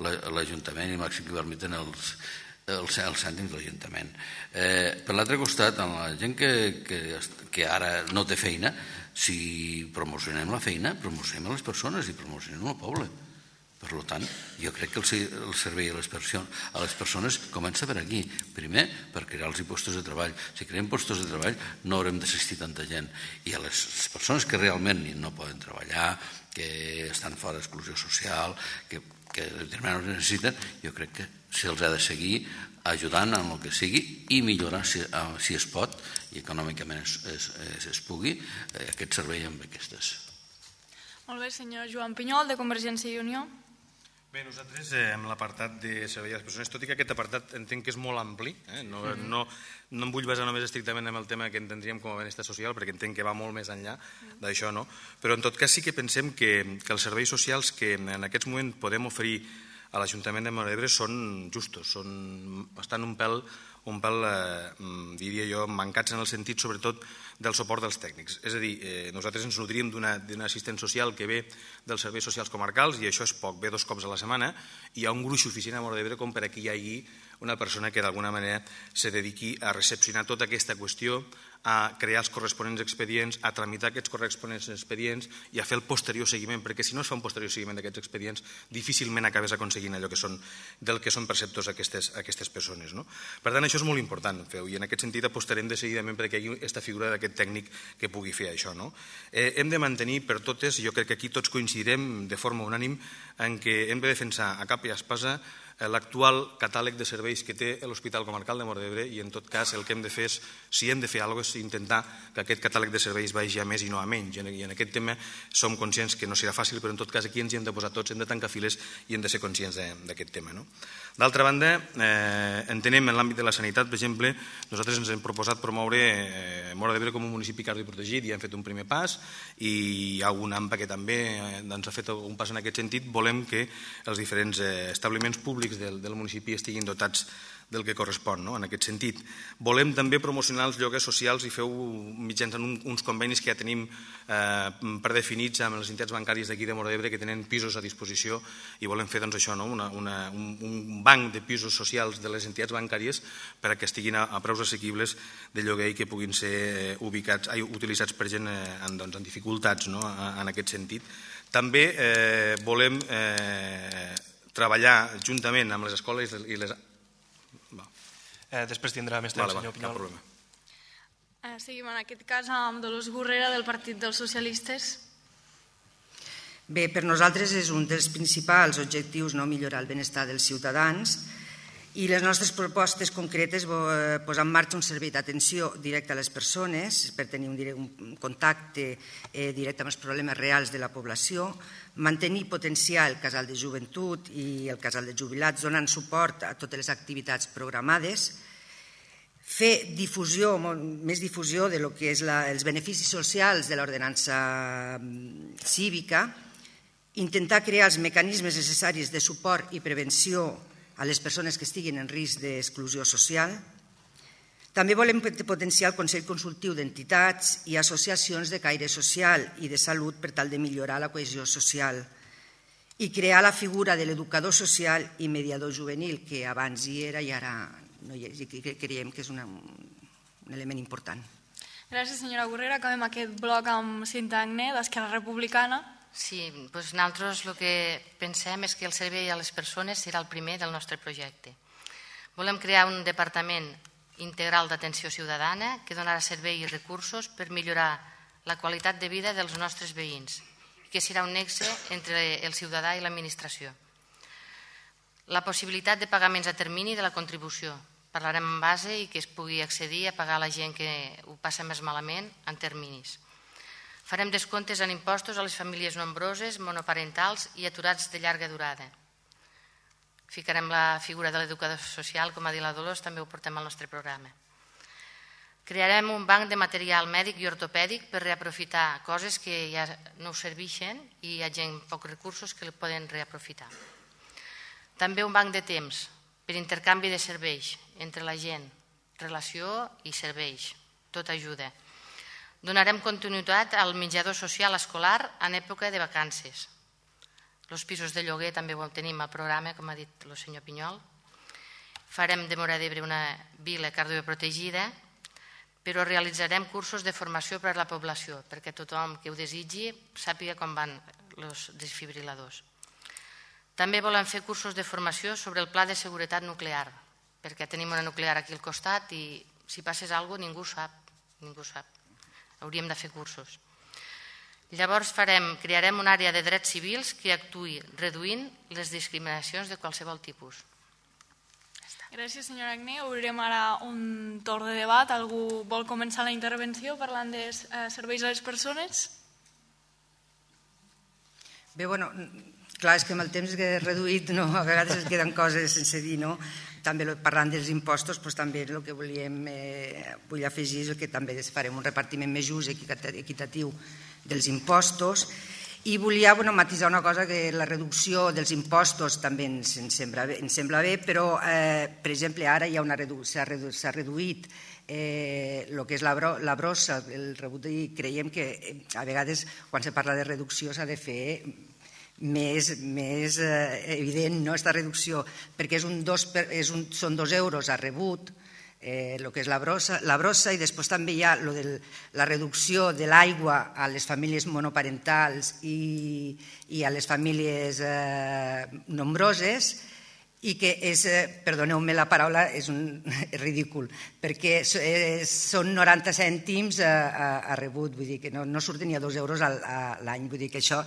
S4: l'Ajuntament i el màxim que permeten els els cèntims de l'Ajuntament. Eh, per l'altre costat, en la gent que, que, que ara no té feina, si promocionem la feina, promocionem les persones i promocionem el poble. Per tant, jo crec que el, el servei a les, persones, a les persones comença per aquí. Primer, per crear els postos de treball. Si creem postos de treball, no haurem d'assistir tanta gent. I a les persones que realment no poden treballar, que estan fora d'exclusió social, que que determinats necessiten, jo crec que se'ls ha de seguir ajudant en el que sigui i millorar, si, si es pot, i econòmicament es, es, es, es pugui, eh, aquest servei amb aquestes.
S1: Molt bé, senyor Joan Pinyol, de Convergència i Unió.
S6: Bé, nosaltres eh, amb l'apartat de servei a les persones, tot i que aquest apartat entenc que és molt ampli, eh? no, mm. no, no em vull basar només estrictament en el tema que entendríem com a benestar social, perquè entenc que va molt més enllà mm. d'això, no? Però en tot cas sí que pensem que, que els serveis socials que en aquests moments podem oferir a l'Ajuntament de Móra d'Ebre són justos, són, estan un pèl, un pèl eh, diria jo, mancats en el sentit sobretot del suport dels tècnics. És a dir, eh, nosaltres ens nodríem d'una assistent social que ve dels serveis socials comarcals i això és poc, ve dos cops a la setmana i hi ha un gruix suficient a Móra d'Ebre com per aquí hi hagi una persona que d'alguna manera se dediqui a recepcionar tota aquesta qüestió, a crear els corresponents expedients, a tramitar aquests corresponents expedients i a fer el posterior seguiment, perquè si no es fa un posterior seguiment d'aquests expedients, difícilment acabes aconseguint allò que són, del que són perceptors aquestes, aquestes persones. No? Per tant, això és molt important, feu, i en aquest sentit apostarem decididament perquè hi hagi aquesta figura d'aquest tècnic que pugui fer això. No? Eh, hem de mantenir per totes, jo crec que aquí tots coincidirem de forma unànim, en què hem de defensar a cap i a espasa l'actual catàleg de serveis que té l'Hospital Comarcal de Móra d'Ebre i en tot cas el que hem de fer és, si hem de fer alguna cosa, és intentar que aquest catàleg de serveis vagi a més i no a menys. I en aquest tema som conscients que no serà fàcil, però en tot cas aquí ens hi hem de posar tots, hem de tancar files i hem de ser conscients d'aquest tema. No? D'altra banda, eh, entenem en l'àmbit de la sanitat, per exemple, nosaltres ens hem proposat promoure eh, Móra d'Ebre com un municipi cardioprotegit i hem fet un primer pas i hi ha un AMPA que també eh, ens ha fet un pas en aquest sentit. Volem que els diferents eh, establiments públics Del, del municipi estiguin dotats del que correspon, no? En aquest sentit. Volem també promocionar els lloguers socials i feu mitjançant un, uns convenis que ja tenim eh, predefinits amb les entitats bancàries d'aquí de Móra d'Ebre que tenen pisos a disposició i volem fer doncs, això, no? una, una, un, un banc de pisos socials de les entitats bancàries per a que estiguin a, a preus assequibles de lloguer i que puguin ser eh, ubicats, ai, utilitzats per gent eh, en, doncs, en dificultats, no? En aquest sentit. També eh, volem eh, treballar juntament amb les escoles i les...
S2: Eh, després tindrà més temps,
S6: vale,
S2: senyor Pinyol.
S6: Cap problema.
S1: Eh, seguim en aquest cas amb Dolors Gurrera del Partit dels Socialistes.
S5: Bé, per nosaltres és un dels principals objectius no millorar el benestar dels ciutadans i les nostres propostes concretes posar en marxa un servei d'atenció directe a les persones per tenir un, un contacte eh, directe amb els problemes reals de la població, mantenir i potenciar el casal de joventut i el casal de jubilats donant suport a totes les activitats programades, fer difusió, més difusió de lo que és la, els beneficis socials de l'ordenança cívica, intentar crear els mecanismes necessaris de suport i prevenció a les persones que estiguin en risc d'exclusió social. També volem potenciar el Consell Consultiu d'Entitats i associacions de caire social i de salut per tal de millorar la cohesió social i crear la figura de l'educador social i mediador juvenil, que abans hi era i ara no hi és, i creiem que és una, un element important.
S1: Gràcies, senyora Gurrera. Acabem aquest bloc amb Cinta Agné, d'Esquerra Republicana.
S3: Sí, doncs nosaltres el que pensem és que el servei a les persones serà el primer del nostre projecte. Volem crear un departament integral d'atenció ciutadana que donarà servei i recursos per millorar la qualitat de vida dels nostres veïns, que serà un nexe entre el ciutadà i l'administració. La possibilitat de pagaments a termini de la contribució. Parlarem en base i que es pugui accedir a pagar a la gent que ho passa més malament en terminis. Farem descomptes en impostos a les famílies nombroses, monoparentals i aturats de llarga durada. Ficarem la figura de l'educador social, com ha dit la Dolors, també ho portem al nostre programa. Crearem un banc de material mèdic i ortopèdic per reaprofitar coses que ja no serveixen i hi ha gent amb pocs recursos que el poden reaprofitar. També un banc de temps per intercanvi de serveis entre la gent, relació i serveis, tot ajuda. Donarem continuïtat al menjador social escolar en època de vacances. Els pisos de lloguer també ho tenim al programa, com ha dit el senyor Pinyol. Farem de Móra d'Ebre una vila cardioprotegida, però realitzarem cursos de formació per a la població, perquè tothom que ho desitgi sàpiga com van els desfibriladors. També volem fer cursos de formació sobre el pla de seguretat nuclear, perquè tenim una nuclear aquí al costat i si passés alguna cosa ningú sap, ningú sap. Hauríem de fer cursos. Llavors farem, crearem una àrea de drets civils que actuï reduint les discriminacions de qualsevol tipus.
S1: Gràcies, senyora Agné. Obrirem ara un torn de debat. Algú vol començar la intervenció parlant de eh, serveis a les persones?
S5: Bé, bueno, clar, és que amb el temps que he reduït, no, a vegades es queden coses sense dir, no? També parlant dels impostos, doncs, també el que volíem, eh, vull afegir és que també farem un repartiment més just i equitatiu dels impostos. I volia bueno, matisar una cosa, que la reducció dels impostos també ens, ens, sembla, bé, ens sembla bé, però, eh, per exemple, ara ja s'ha redu, reduït eh, el que és la, bro, la brossa, el rebut, i creiem que a vegades quan se parla de reducció s'ha de fer més, més eh, evident, no, aquesta reducció, perquè és un dos, és un, són dos euros a rebut, eh, el que és la brossa, la brossa, i després també hi ha lo de la reducció de l'aigua a les famílies monoparentals i, i a les famílies eh, nombroses, i que és, eh, perdoneu-me la paraula, és un és ridícul, perquè és, són noranta cèntims a, a, a rebut, vull dir que no, no surten ni a dos euros a, a l'any, vull dir que això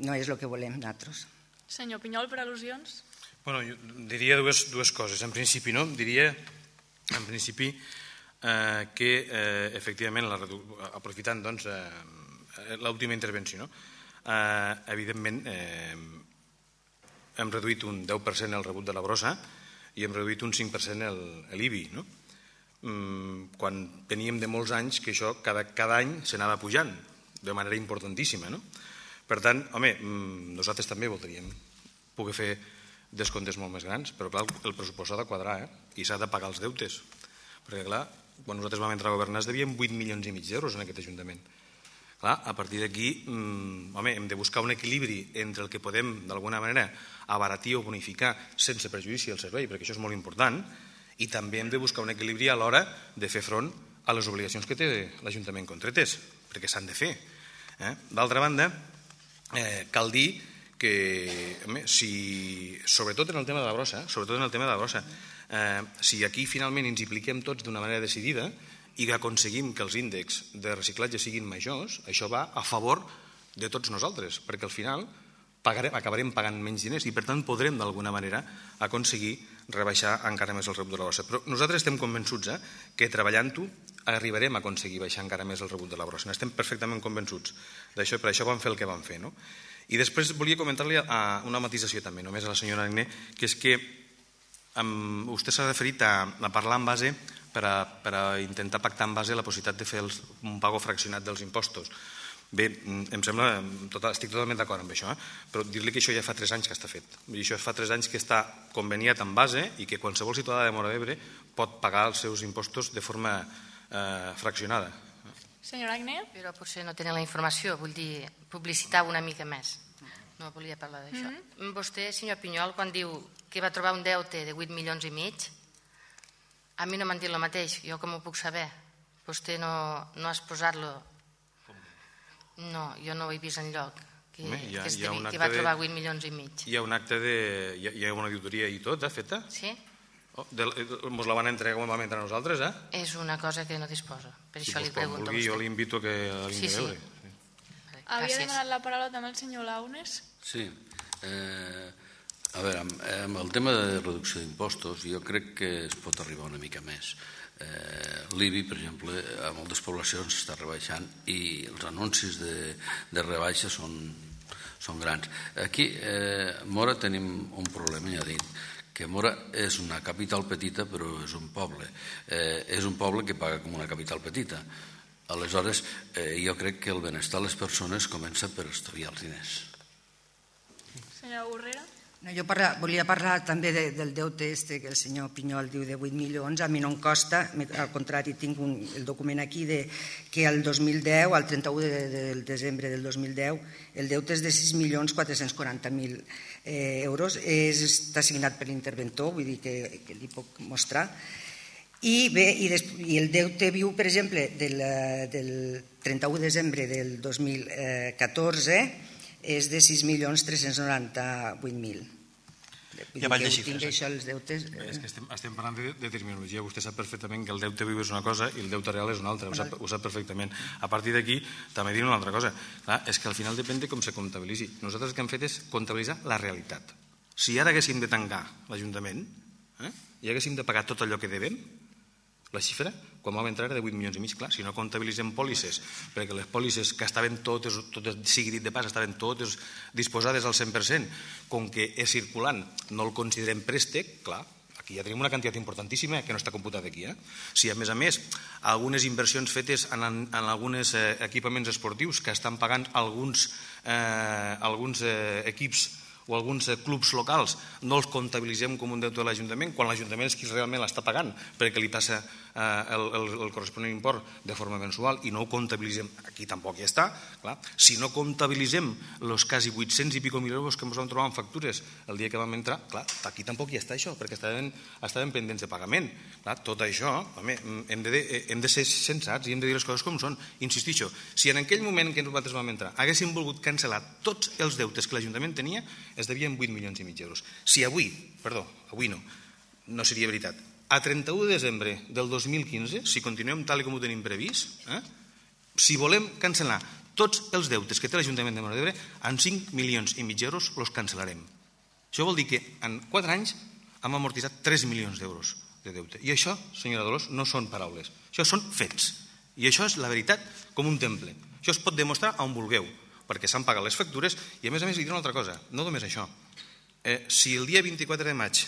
S5: no és el que volem nosaltres.
S1: Senyor Pinyol, per al·lusions?
S6: Bueno, jo diria dues, dues coses. En principi, no? Diria, en principi, eh, que eh, efectivament, la, aprofitant doncs, eh, l'última intervenció, no? eh, evidentment, eh, hem reduït un deu per cent el rebut de la brossa i hem reduït un cinc per cent l'I B I, no? Mm, quan teníem de molts anys que això cada, cada any s'anava pujant de manera importantíssima, no? Per tant, home, nosaltres també voldríem poder fer descomptes molt més grans, però clar, el pressupost s'ha de quadrar, eh? I s'ha de pagar els deutes. Perquè clar, quan nosaltres vam entrar a governar es devien vuit milions i mig d'euros en aquest Ajuntament. Clar, a partir d'aquí, mmm, home, hem de buscar un equilibri entre el que podem, d'alguna manera, abaratir o bonificar sense perjudici al servei, perquè això és molt important, i també hem de buscar un equilibri a l'hora de fer front a les obligacions que té l'Ajuntament contretes, perquè s'han de fer. Eh? D'altra banda, Eh, cal dir que, home, si, sobretot en el tema de la brossa, sobretot en el tema de la brossa, eh, si aquí finalment ens impliquem tots d'una manera decidida i que aconseguim que els índexs de reciclatge siguin majors, això va a favor de tots nosaltres, perquè al final pagarem, acabarem pagant menys diners i per tant podrem d'alguna manera aconseguir rebaixar encara més el rebut de la brossa. Però nosaltres estem convençuts eh, que treballant-ho arribarem a aconseguir baixar encara més el rebut de la brossa. N'estem perfectament convençuts d'això, per això vam fer el que vam fer. No? I després volia comentar-li una matisació també, només a la senyora Agné, que és que um, vostè s'ha referit a, a parlar en base per a, per a intentar pactar en base la possibilitat de fer els, un pago fraccionat dels impostos. Bé, em sembla, total, estic totalment d'acord amb això, eh? Però dir-li que això ja fa tres anys que està fet. I això fa tres anys que està conveniat en base i que qualsevol ciutadà de Móra d'Ebre pot pagar els seus impostos de forma eh, fraccionada.
S1: Senyora Agné?
S3: Però potser no tenen la informació, vull dir, publicitar una mica més. No volia parlar d'això. Mm-hmm. Vostè, senyor Pinyol, quan diu que va trobar un deute de vuit milions i mig, a mi no m'han dit el mateix, jo com ho puc saber? Vostè no, no has posat-lo... No, jo no ho he vist enlloc, que, Home, ha, que, devia, que va trobar vuit milions i mig.
S6: Hi ha un acte de... Hi ha una auditoria i tot, eh, feta?
S3: Sí.
S6: Oh, mos la van entregar com vam entrar nosaltres, eh?
S3: És una cosa que no disposo, per
S6: si
S3: això li pregunto
S6: vulgui,
S3: a vostè.
S6: Jo l'invito que la vingui
S3: sí,
S6: a veure.
S3: Sí.
S1: Sí. Havia demanat la paraula també el senyor Launes?
S4: Sí. Eh, a veure, amb, amb el tema de reducció d'impostos jo crec que es pot arribar una mica més. Eh, L'I B I, per exemple, a moltes poblacions s'està rebaixant i els anuncis de, de rebaixa són, són grans. Aquí eh, a Móra tenim un problema, ja he dit, que Móra és una capital petita però és un poble. Eh, és un poble que paga com una capital petita. Aleshores, eh, jo crec que el benestar de les persones comença per estalviar els diners.
S1: Senyora Borrera?
S5: No, jo parla, volia parlar també de, del deute este que el senyor Pinyol diu de vuit milions. A mi no em costa, al contrari, tinc un, el document aquí de, que el dos mil deu, al trenta-u de, de, de desembre del dos mil deu, el deute és de sis milions quatre-cents quaranta mil eh, euros. És, està signat per l'interventor, vull dir que, que li puc mostrar. I bé, i, des, i el deute viu, per exemple, del, del trenta-u de desembre del dos mil catorze és de sis milions tres-cents noranta-vuit mil.
S2: Ja vaig de
S5: xifres.
S2: xifres.
S5: Tinc això, els deutes...
S6: És que estem, estem parlant de, de terminologia. Vostè sap perfectament que el deute viu és una cosa i el deute real és una altra. Ho sap, ho sap perfectament. A partir d'aquí, també diré una altra cosa. Clar, és que al final depèn de com se comptabilitzi. Nosaltres el que hem fet és comptabilitzar la realitat. Si ara haguéssim de tancar l'Ajuntament eh, i haguéssim de pagar tot allò que devem, la xifra, quan vam entrar, era de vuit milions i mig. Clar, si no comptabilitzem pòlisses, perquè les pòlisses que estaven totes, totes sigui dit de pas, estaven totes disposades al cent per cent, com que és circulant, no el considerem préstec, clar, aquí ja tenim una quantitat importantíssima que no està computada aquí. Eh? Si a més a més algunes inversions fetes en, en alguns eh, equipaments esportius que estan pagant alguns, eh, alguns eh, equips o alguns clubs locals, no els comptabilitzem com un deute de l'Ajuntament, quan l'Ajuntament és qui realment l'està pagant, perquè li passa eh, el, el, el corresponent import de forma mensual i no ho comptabilitzem, aquí tampoc hi està. Clar. Si no comptabilitzem els quasi vuit-cents i pico mil euros que ens vam trobar en factures el dia que vam entrar, clar, aquí tampoc hi està això, perquè estaven, estaven pendents de pagament. Clar, tot això, home, hem de, hem de ser sensats i hem de dir les coses com són. Insistixo, si en aquell moment que nosaltres vam entrar haguéssim volgut cancel·lar tots els deutes que l'Ajuntament tenia, es devien vuit milions i mig d'euros. Si avui, perdó, avui no, no seria veritat, a trenta-u de desembre del dos mil quinze, si continuem tal com ho tenim previst, eh, si volem cancel·lar tots els deutes que té l'Ajuntament de Móra d'Ebre, en cinc milions i mig d'euros els cancel·larem. Això vol dir que en quatre anys hem amortitzat tres milions d'euros de deute. I això, senyora Dolors, no són paraules, això són fets. I això és la veritat com un temple. Això es pot demostrar on vulgueu, perquè s'han pagat les factures i a més a més li diré una altra cosa, no només això. Eh, si el dia vint-i-quatre de maig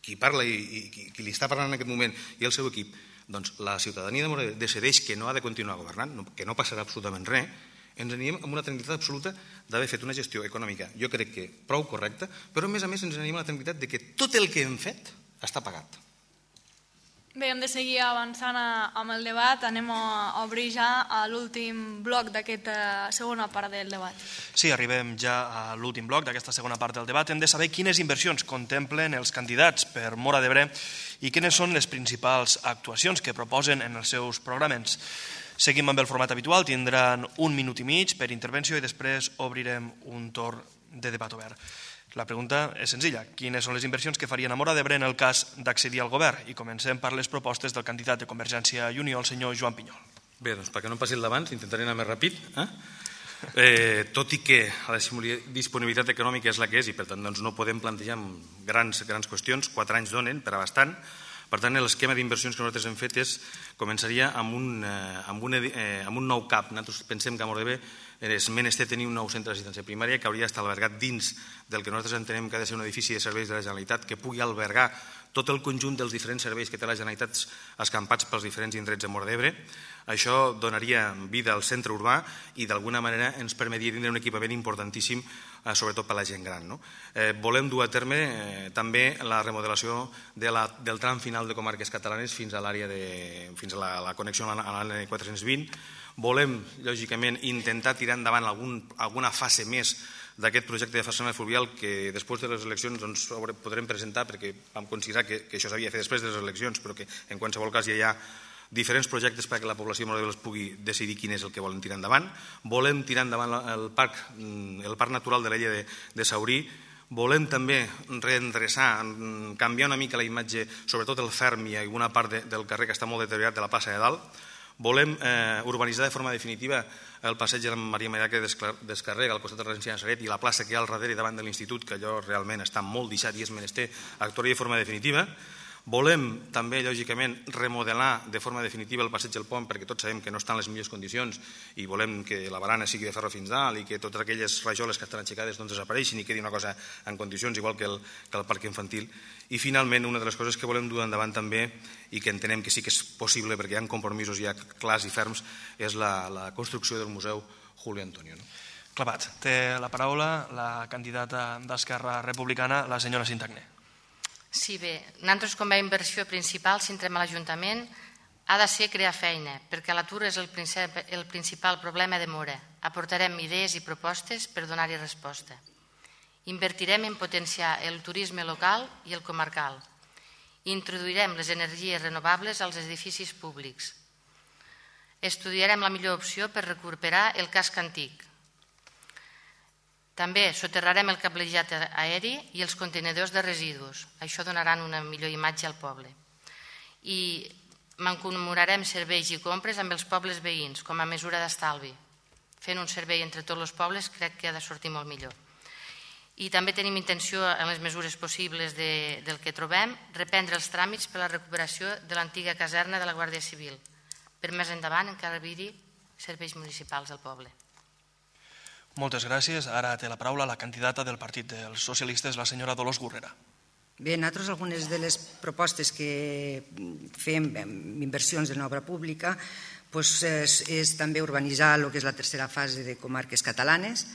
S6: qui parla i, i qui, qui li està parlant en aquest moment i el seu equip, doncs la ciutadania de Móra d'Ebre decideix que no ha de continuar governant, no, que no passarà absolutament res, ens anirem amb una tranquil·litat absoluta d'haver fet una gestió econòmica, jo crec que prou correcta, però a més a més ens anirem amb la tranquil·litat de que tot el que hem fet està pagat.
S1: Bé, hem de seguir avançant amb el debat. Anem a obrir ja a l'últim bloc d'aquesta segona part del debat.
S2: Sí, arribem ja a l'últim bloc d'aquesta segona part del debat. Hem de saber quines inversions contemplen els candidats per Móra d'Ebre i quines són les principals actuacions que proposen en els seus programes. Seguim amb el format habitual, tindran un minut i mig per intervenció i després obrirem un torn de debat obert. La pregunta és senzilla. Quines són les inversions que farien a Móra d'Ebre en el cas d'accedir al govern? I comencem per les propostes del candidat de Convergència i Unió, el senyor Joan Pinyol.
S6: Bé, doncs perquè no em passi el d'abans, intentaré anar més ràpid. Eh? Eh, tot i que la disponibilitat econòmica és la que és i per tant doncs, no podem plantejar grans, grans qüestions, quatre anys donen per a bastant. Per tant, l'esquema d'inversions que nosaltres hem fet és, començaria amb un, eh, amb un, eh, amb un nou C A P. Nosaltres pensem que a Móra d'Ebre és menester tenir un nou centre d'assistència primària que hauria d'estar albergat dins del que nosaltres entenem que ha de ser un edifici de serveis de la Generalitat que pugui albergar tot el conjunt dels diferents serveis que té la Generalitat escampats pels diferents indrets de Móra d'Ebre. Això donaria vida al centre urbà i d'alguna manera ens permetria tindre un equipament importantíssim, eh, sobretot per a la gent gran. No? Eh, volem dur a terme eh, també la remodelació de la, del tram final de comarques catalanes fins a l'àrea de fins a la, la connexió a l'A N quatre-cents vint. Volem, lògicament, intentar tirar endavant algun, alguna fase més d'aquest projecte de façana fluvial que després de les eleccions doncs, podrem presentar perquè vam considerar que, que això s'havia de fer després de les eleccions, però que en qualsevol cas ja hi ha diferents projectes perquè la població de Móra d'Ebre pugui decidir quin és el que volen tirar endavant. Volem tirar endavant el parc, el parc natural de l'illa de, de Saurí. Volem també reendreçar, canviar una mica la imatge, sobretot el ferm i alguna part de, del carrer que està molt deteriorat de la plaça de Dalt. Volem eh, urbanitzar de forma definitiva el passeig de la Maria Maria que descarrega al costat de la residència de Nazaret i la plaça que hi ha al darrere davant de l'institut, que allò realment està molt deixat i és menester actuar de forma definitiva. Volem també, lògicament, remodelar de forma definitiva el passeig del Pont perquè tots sabem que no estan en les millors condicions i volem que la barana sigui de ferro fins dalt i que totes aquelles rajoles que estan aixecades doncs, desapareixin i quedi una cosa en condicions igual que el, que el parc infantil. I finalment, una de les coses que volem dur endavant també i que entenem que sí que és possible perquè hi ha compromisos ja clars i ferms és la, la construcció del Museu Julio Antonio. No?
S2: Clavat. Té la paraula la candidata d'Esquerra Republicana, la senyora Sintagné.
S3: Sí, bé, nosaltres com a inversió principal, si entrem a l'Ajuntament, ha de ser crear feina, perquè l'atur és el, el principal problema de Móra. Aportarem idees i propostes per donar-hi resposta. Invertirem en potenciar el turisme local i el comarcal. Introduirem les energies renovables als edificis públics. Estudiarem la millor opció per recuperar el casc antic. També soterrarem el cablejat aeri i els contenidors de residus. Això donaran una millor imatge al poble. I mancomunarem serveis i compres amb els pobles veïns com a mesura d'estalvi. Fent un servei entre tots els pobles crec que ha de sortir molt millor. I també tenim intenció, en les mesures possibles del que trobem, reprendre els tràmits per a la recuperació de l'antiga caserna de la Guàrdia Civil. Per més endavant encara haver-hi serveis municipals al poble.
S2: Moltes gràcies. Ara té la paraula la candidata del Partit dels Socialistes, la senyora Dolors Gurrera.
S5: Bé, nosaltres algunes de les propostes que fem en inversions en obra pública doncs és, és també urbanitzar el que és la tercera fase de comarques catalanes,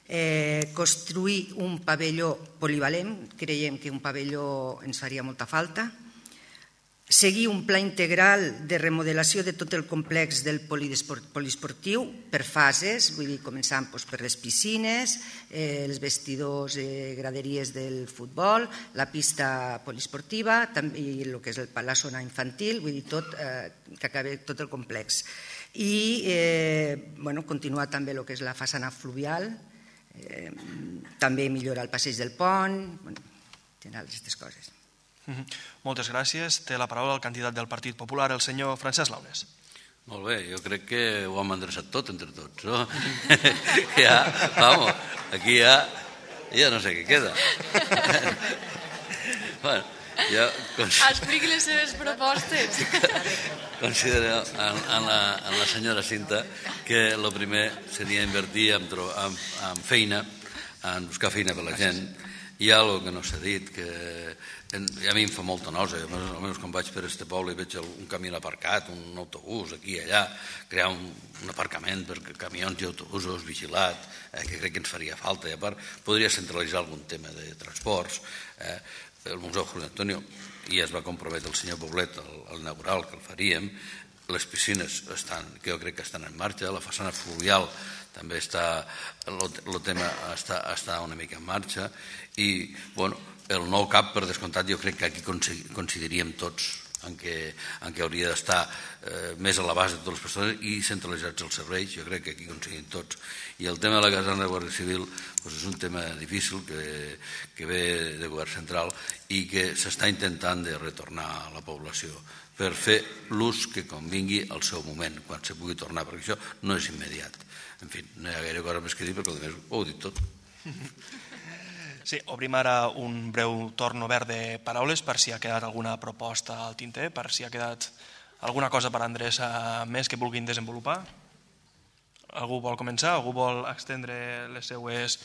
S5: eh, construir un pavelló polivalent, creiem que un pavelló ens faria molta falta, seguir un pla integral de remodelació de tot el complex del poliesportiu per fases, vull dir, començant doncs, per les piscines, eh, els vestidors, eh, graderies del futbol, la pista poliesportiva i el que és el, la zona infantil, vull dir, tot, eh, que acabi tot el complex. I eh, bueno, continuar també el que és la façana fluvial, eh, també millorar el passeig del pont, bueno, general aquestes coses.
S2: Moltes gràcies. Té la paraula el candidat del Partit Popular, el senyor Francesc Launes.
S4: Molt bé, jo crec que ho hem endreçat tot entre tots, no? Ja, vamos, aquí ja, ja no sé què queda. Bueno, jo...
S1: Expliqui les seves propostes.
S4: Considero en, en, la, en la senyora Cinta que el primer seria invertir en, en, en feina, en buscar feina per la gent. Hi ha alguna que no s'ha dit, que a mi em fa molta nosa, almenys quan vaig per este poble i veig un camió aparcat, un autobús aquí i allà, crear un, un aparcament per camions i autobusos vigilat, eh, que crec que ens faria falta, i a part podria centralitzar algun tema de transports. Eh, el Museu José Antonio, i es va comprometre el senyor Poblet al inaugural que el faríem, les piscines estan, que jo crec que estan en marxa, la façana fluvial també està, el tema està, està una mica en marxa, i bueno, el nou C A P, per descomptat, jo crec que aquí coincidiríem tots en què, en què hauria d'estar eh, més a l'abast de totes les persones i centralitzats els serveis, jo crec que aquí coincidim tots. I el tema de la caserna de Guàrdia Civil doncs és un tema difícil que, que ve de govern central i que s'està intentant de retornar a la població per fer l'ús que convingui al seu moment, quan se pugui tornar, perquè això no és immediat. En fi, no hi ha gaire cosa més que dir perquè el ho heu dit tot.
S2: Sí, obrim ara un breu torn obert de paraules per si ha quedat alguna proposta al tinter, per si ha quedat alguna cosa per endreçar més que vulguin desenvolupar. Algú vol començar? Algú vol extendre les seues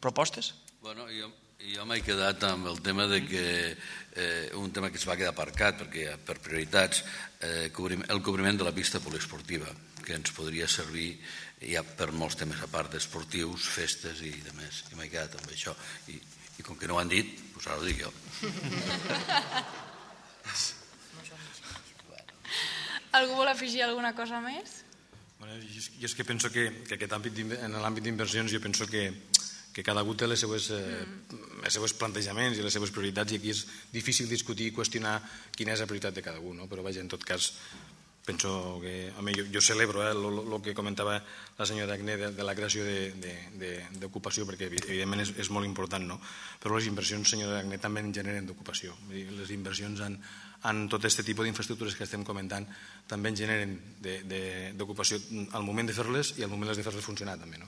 S2: propostes?
S4: Bueno, jo, jo m'he quedat amb el tema de que eh, un tema que es va quedar aparcat perquè per prioritats, eh, el cobriment de la pista poliesportiva, que ens podria servir ja per molts temes a part esportius, festes i demés. I m'he quedat amb això. I, i com que no ho han dit, doncs ara ho dic jo.
S1: Algú vol afegir alguna cosa més?
S6: Bueno, jo és que penso que, que aquest àmbit, en l'àmbit d'inversions, jo penso que, que cada un té les seues, eh, els seus plantejaments i les seves prioritats, i aquí és difícil discutir i qüestionar quina és la prioritat de cada un, no? Però vaja, en tot cas, penso que, a mi, jo, jo celebro el que comentava la senyora Agné de, de la creació d'ocupació, perquè evidentment és, és molt important, no? Però les inversions, senyora Agné, també en generen d'ocupació. Les inversions en, en tot aquest tipus d'infraestructures que estem comentant també en generen d'ocupació al moment de fer-les i al moment de fer-les funcionar també, no?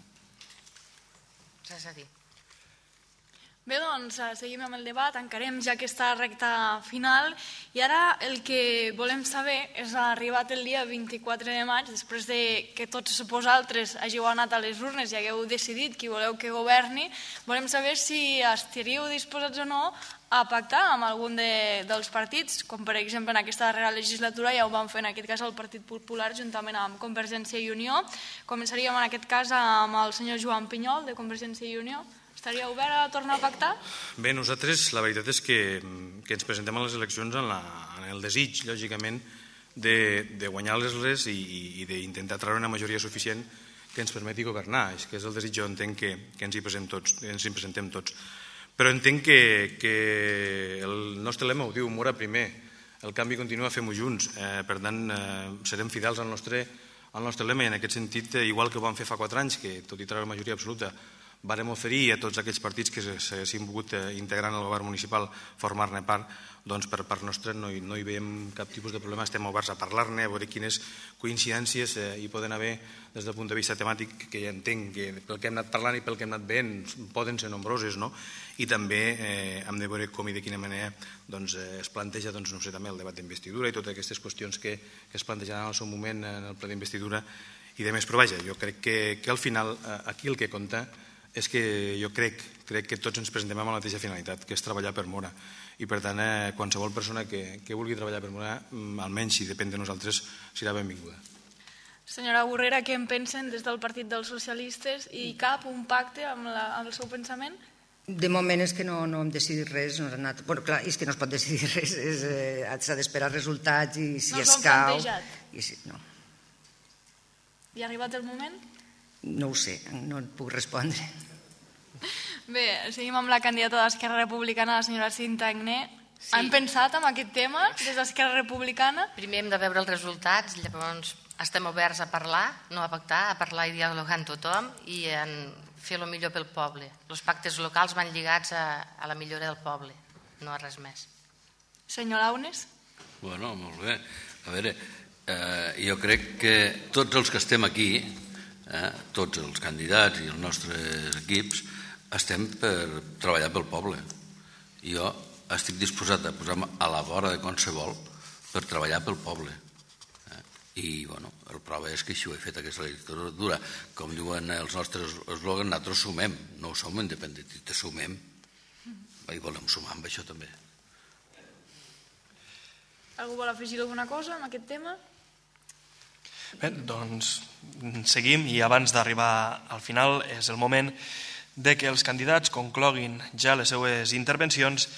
S3: Res a dir.
S1: Bé, doncs, seguim amb el debat, encarem ja aquesta recta final i ara el que volem saber és arribat el dia vint-i-quatre de maig, després de que tots vosaltres hàgiu anat a les urnes i hagueu decidit qui voleu que governi, volem saber si estaríeu disposats o no a pactar amb algun de, dels partits, com per exemple en aquesta darrera legislatura ja ho vam fer en aquest cas el Partit Popular juntament amb Convergència i Unió. Començaríem en aquest cas amb el senyor Joan Pinyol de Convergència i Unió. Estaria obert a tornar a pactar?
S6: Bé, nosaltres la veritat és que, que ens presentem a les eleccions en, la, en el desig, lògicament, de, de guanyar-les i, i d'intentar treure una majoria suficient que ens permeti governar. És que és el desig, jo entenc que, que ens hi presentem tots. Ens hi presentem tots. Però entenc que, que el nostre lema ho diu, mora primer, el canvi continua, fem-ho junts. Eh, per tant, eh, serem fidels al nostre, al nostre lema i en aquest sentit, igual que ho vam fer fa quatre anys, que tot i treure majoria absoluta vàrem oferir a tots aquells partits que s'hagin volgut integrar en el govern municipal formar-ne part, doncs per part nostra no hi, no hi veiem cap tipus de problema, estem oberts a parlar-ne, a veure quines coincidències eh, hi poden haver des del punt de vista temàtic, que ja entenc que pel que hem anat parlant i pel que hem anat veient poden ser nombroses, no? I també eh, hem de veure com i de quina manera doncs, eh, es planteja doncs, no sé, també el debat d'investidura i totes aquestes qüestions que, que es plantejaran al seu moment en el ple d'investidura i de més. Però vaja, jo crec que, que al final eh, aquí el que compta és que jo crec, crec que tots ens presentem amb la mateixa finalitat, que és treballar per Móra. I per tant, eh, qualsevol persona que, que vulgui treballar per Móra, almenys si depèn de nosaltres, serà benvinguda.
S1: Senyora Borrera, què en pensen des del Partit dels Socialistes? I cap un pacte amb, la, amb el seu pensament?
S5: De moment és que no, no hem decidit res. No anat... bueno, clar, és que no es pot decidir res, eh, s'ha d'esperar resultats i si
S1: no
S5: escau...
S1: I
S5: si, no.
S1: I ha arribat el moment?
S5: No ho sé, no et puc respondre.
S1: Bé, seguim amb la candidata d'Esquerra Republicana, la senyora Cinta Agné. Sí. Han pensat en aquest tema des d'Esquerra Republicana?
S3: Primer hem de veure els resultats, llavors estem oberts a parlar, no a pactar, a parlar i dialogar amb tothom i a fer el millor pel poble. Els pactes locals van lligats a, a la millora del poble, no a res més.
S1: Senyor Launes?
S4: Bueno, molt bé. A veure, eh, jo crec que tots els que estem aquí, eh, tots els candidats i els nostres equips, estem per treballar pel poble. Jo estic disposat a posar-me a la vora de qualsevol per treballar pel poble. I, bueno, el prova és que així ho he fet aquesta legislatura. Com diuen els nostres eslògans, nosaltres sumem, no som independentistes, sumem. I volem sumar amb això també.
S1: Algú vol afegir alguna cosa en aquest tema?
S2: Bé, doncs seguim i abans d'arribar al final és el moment de que els candidats concloguin ja les seues intervencions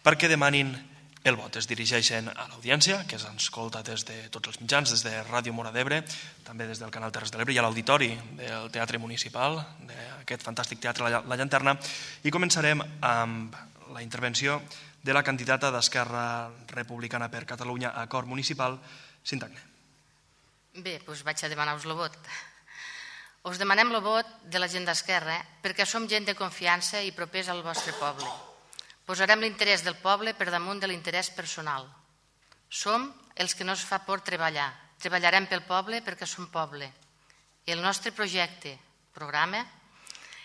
S2: perquè demanin el vot. Es dirigeixen a l'audiència, que ens escolta des de tots els mitjans, des de Ràdio Móra d'Ebre, també des del canal Terres de l'Ebre i a l'auditori del Teatre Municipal, d'aquest fantàstic teatre La Llanterna, i començarem amb la intervenció de la candidata d'Esquerra Republicana per Catalunya a Cor Municipal, Cinta Agné.
S3: Bé, doncs vaig a demanar-vos el vot. Us demanem el vot de la gent d'Esquerra perquè som gent de confiança i propers al vostre poble. Posarem l'interès del poble per damunt de l'interès personal. Som els que no es fa por treballar. Treballarem pel poble perquè som poble. El nostre projecte, programa,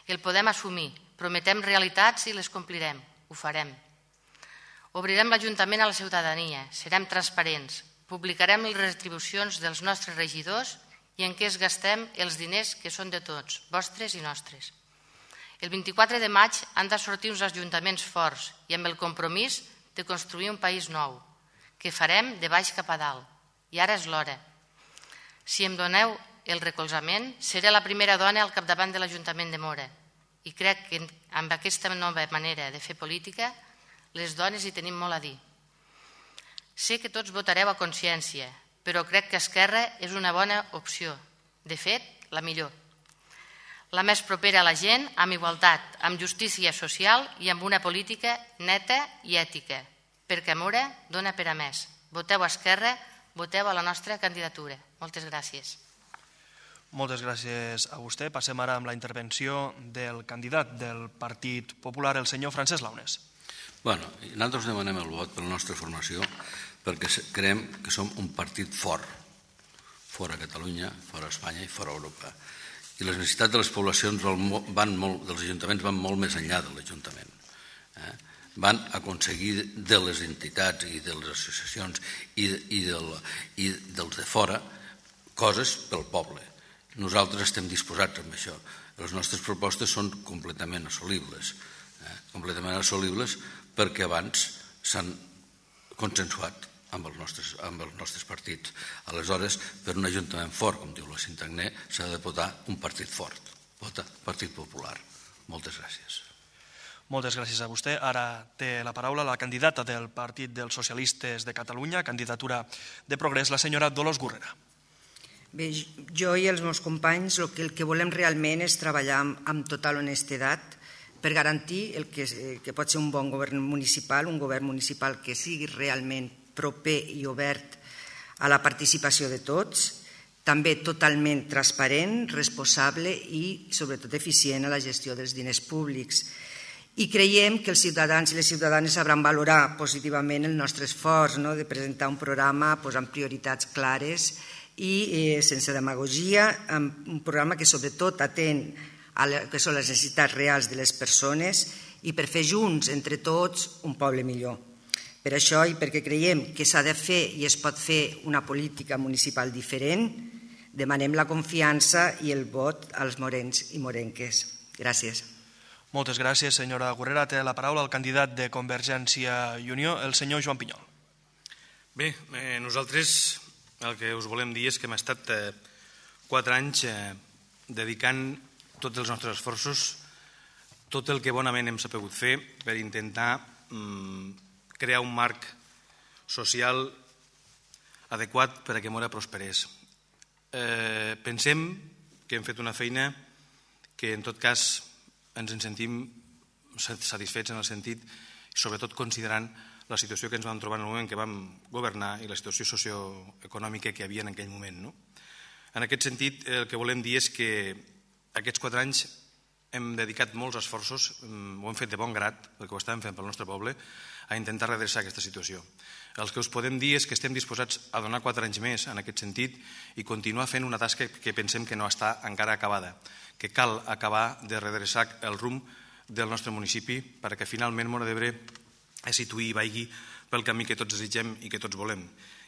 S3: el podem assumir. Prometem realitats i les complirem. Ho farem. Obrirem l'Ajuntament a la ciutadania. Serem transparents. Publicarem les retribucions dels nostres regidors i en què es gastem els diners que són de tots, vostres i nostres. El vint-i-quatre de maig han de sortir uns ajuntaments forts i amb el compromís de construir un país nou, que farem de baix cap a dalt. I ara és l'hora. Si em doneu el recolzament, seré la primera dona al capdavant de l'Ajuntament de Móra. I crec que amb aquesta nova manera de fer política, les dones hi tenim molt a dir. Sé que tots votareu a consciència, però crec que Esquerra és una bona opció. De fet, la millor. La més propera a la gent, amb igualtat, amb justícia social i amb una política neta i ètica, perquè Móra dona per a més. Voteu a Esquerra, voteu a la nostra candidatura. Moltes gràcies.
S2: Moltes gràcies a vostè. Passem ara amb la intervenció del candidat del Partit Popular, el senyor Francesc Launes.
S4: Bueno, nosaltres demanem el vot per la nostra formació perquè creiem que som un partit fort, fora Catalunya, fora Espanya i fora Europa. I les necessitats de les poblacions van molt, dels ajuntaments van molt més enllà de l'Ajuntament. Eh? Van aconseguir de les entitats i de les associacions i, i, del, i dels de fora coses pel poble. Nosaltres estem disposats amb això. Les nostres propostes són completament assolibles. Eh? Completament assolibles perquè abans s'han consensuat amb els nostres, amb els nostres partits. Aleshores, per un ajuntament fort, com diu la Cinta Agné, s'ha de votar un partit fort. Vota Partit Popular. Moltes gràcies.
S2: Moltes gràcies a vostè. Ara té la paraula la candidata del Partit dels Socialistes de Catalunya, candidatura de Progrés, la senyora Dolors Gurrera.
S5: Bé, jo i els meus companys el que, el que volem realment és treballar amb, amb total honestedat per garantir el que, que pot ser un bon govern municipal, un govern municipal que sigui realment proper i obert a la participació de tots, també totalment transparent, responsable i sobretot eficient a la gestió dels diners públics. I creiem que els ciutadans i les ciutadanes sabran valorar positivament el nostre esforç de presentar un programa amb prioritats clares i sense demagogia, un programa que sobretot atén a les necessitats reals de les persones i per fer junts, entre tots, un poble millor. Per això i perquè creiem que s'ha de fer i es pot fer una política municipal diferent, demanem la confiança i el vot als morens i morenques. Gràcies.
S2: Moltes gràcies, senyora Gurrera. Té la paraula el candidat de Convergència i Unió, el senyor Joan Pinyol.
S6: Bé, nosaltres el que us volem dir és que hem estat quatre anys dedicant tots els nostres esforços, tot el que bonament hem sabut fer per intentar crear un marc social adequat per a que Móra prosperés. Pensem que hem fet una feina que en tot cas ens en sentim satisfets en el sentit, sobretot considerant la situació que ens vam trobar en el moment que vam governar i la situació socioeconòmica que hi havia en aquell moment. En aquest sentit, el que volem dir és que aquests quatre anys hem dedicat molts esforços, ho hem fet de bon grat, perquè ho estàvem fent pel nostre poble, a intentar redreçar aquesta situació. El que us podem dir és que estem disposats a donar quatre anys més en aquest sentit i continuar fent una tasca que pensem que no està encara acabada, que cal acabar de redreçar el rumb del nostre municipi perquè finalment Móra d'Ebre es situï i vagi pel camí que tots desitgem i que tots volem.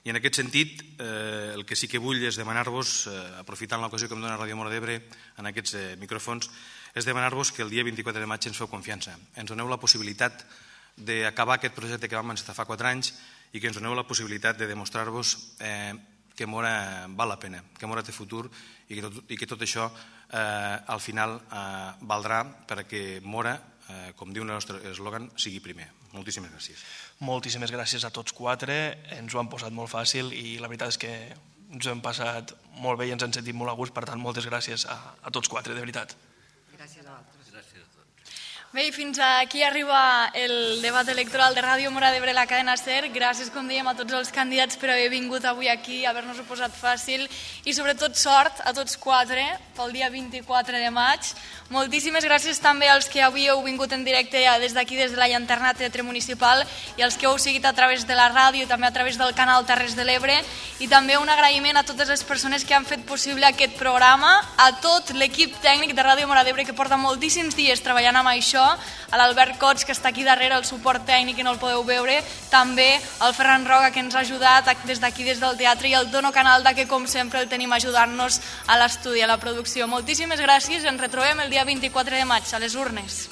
S6: I en aquest sentit, el que sí que vull és demanar-vos, aprofitant l'ocasió que em dona Ràdio Móra d'Ebre en aquests micròfons, és demanar-vos que el dia vint-i-quatre de maig ens feu confiança. Ens doneu la possibilitat d'acabar aquest projecte que vam encetar fa quatre anys i que ens doneu la possibilitat de demostrar-vos que Móra val la pena, que Móra té futur i que tot això al final valdrà perquè Móra, com diu el nostre eslògan, sigui primer. Moltíssimes gràcies.
S2: Moltíssimes gràcies a tots quatre, ens ho han posat molt fàcil i la veritat és que ens ho hem passat molt bé i ens hem sentit molt a gust, per tant, moltes gràcies a tots quatre, de veritat.
S5: Gràcies a vosaltres.
S1: Bé, i fins aquí arriba el debat electoral de Ràdio Móra d'Ebre, la cadena SER. Gràcies, com dèiem, a tots els candidats per haver vingut avui aquí, haver-nos-ho posat fàcil i sobretot sort a tots quatre pel dia vint-i-quatre de maig. Moltíssimes gràcies també als que avui heu vingut en directe des d'aquí, des de la llanterna Teatre Municipal i als que heu seguit a través de la ràdio i també a través del canal Terres de l'Ebre, i també un agraïment a totes les persones que han fet possible aquest programa, a tot l'equip tècnic de Ràdio Móra d'Ebre que porta moltíssims dies treballant amb això, a l'Albert Cots, que està aquí darrere, el suport tècnic, que no el podeu veure, també al Ferran Roga, que ens ha ajudat des d'aquí, des del teatre, i al Tono Canalda, que com sempre el tenim ajudant-nos a l'estudi, a la producció. Moltíssimes gràcies, ens retrobem el dia vint-i-quatre de maig, a les urnes.